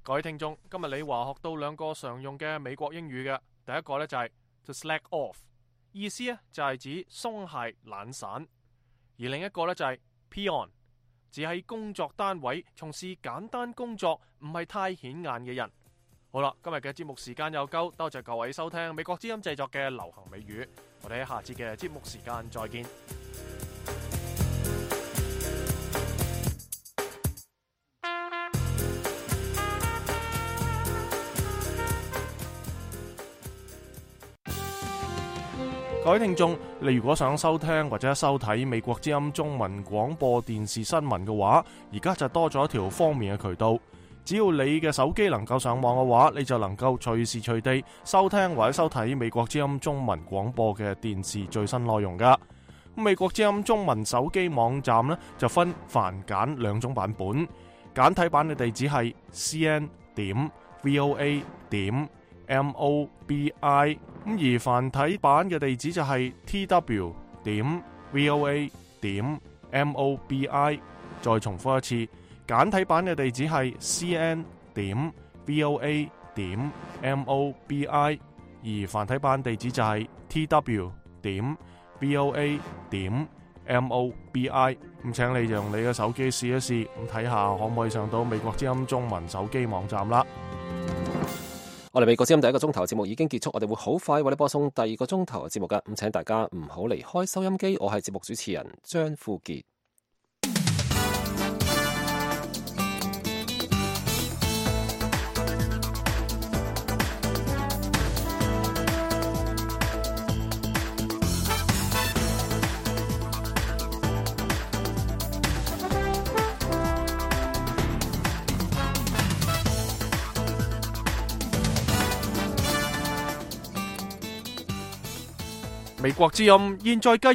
各位聽眾，今日李華學到兩個常用嘅美國英語嘅，第一個呢就係 to slack off， 意思呢就係指鬆懈懶散，而另一個呢就係 peon， 指喺工作單位從事簡單工作唔係太顯眼嘅人。好啦，今日嘅節目時間又夠，多謝各位收聽美國之音製作嘅流行美語，我哋喺下次嘅節目時間再見。各位聽眾，你如果想收聽或者收睇美國之音中文廣播電視新聞嘅話，而家就多咗一條方便嘅渠道。只要你嘅手機能夠上網嘅話，你就能夠隨時隨地收聽或者收睇美國之音中文廣播嘅電視最新內容噶。美國之音中文手機網站呢，就分繁簡兩種版本，簡體版嘅地址係 c n 點 v o a 點 m o b i， 咁而繁體版嘅地址就係 t w 點 v o a 點 m o b i。再重複一次。簡體版嘅地址係 c n 點 v o a 點 m o b i， 而繁體版地址就係 t w 點 v o a 點 M O B I。咁請你用你嘅手機試一試，咁睇下可唔可以上到美國之音中文手機網站啦。我哋美國之音第一個鐘頭節目已經結束，我哋會好快為你播送第二個鐘頭嘅節目㗎。咁請大家唔好離開收音機，我係節目主持人張富傑。美國之音現在繼續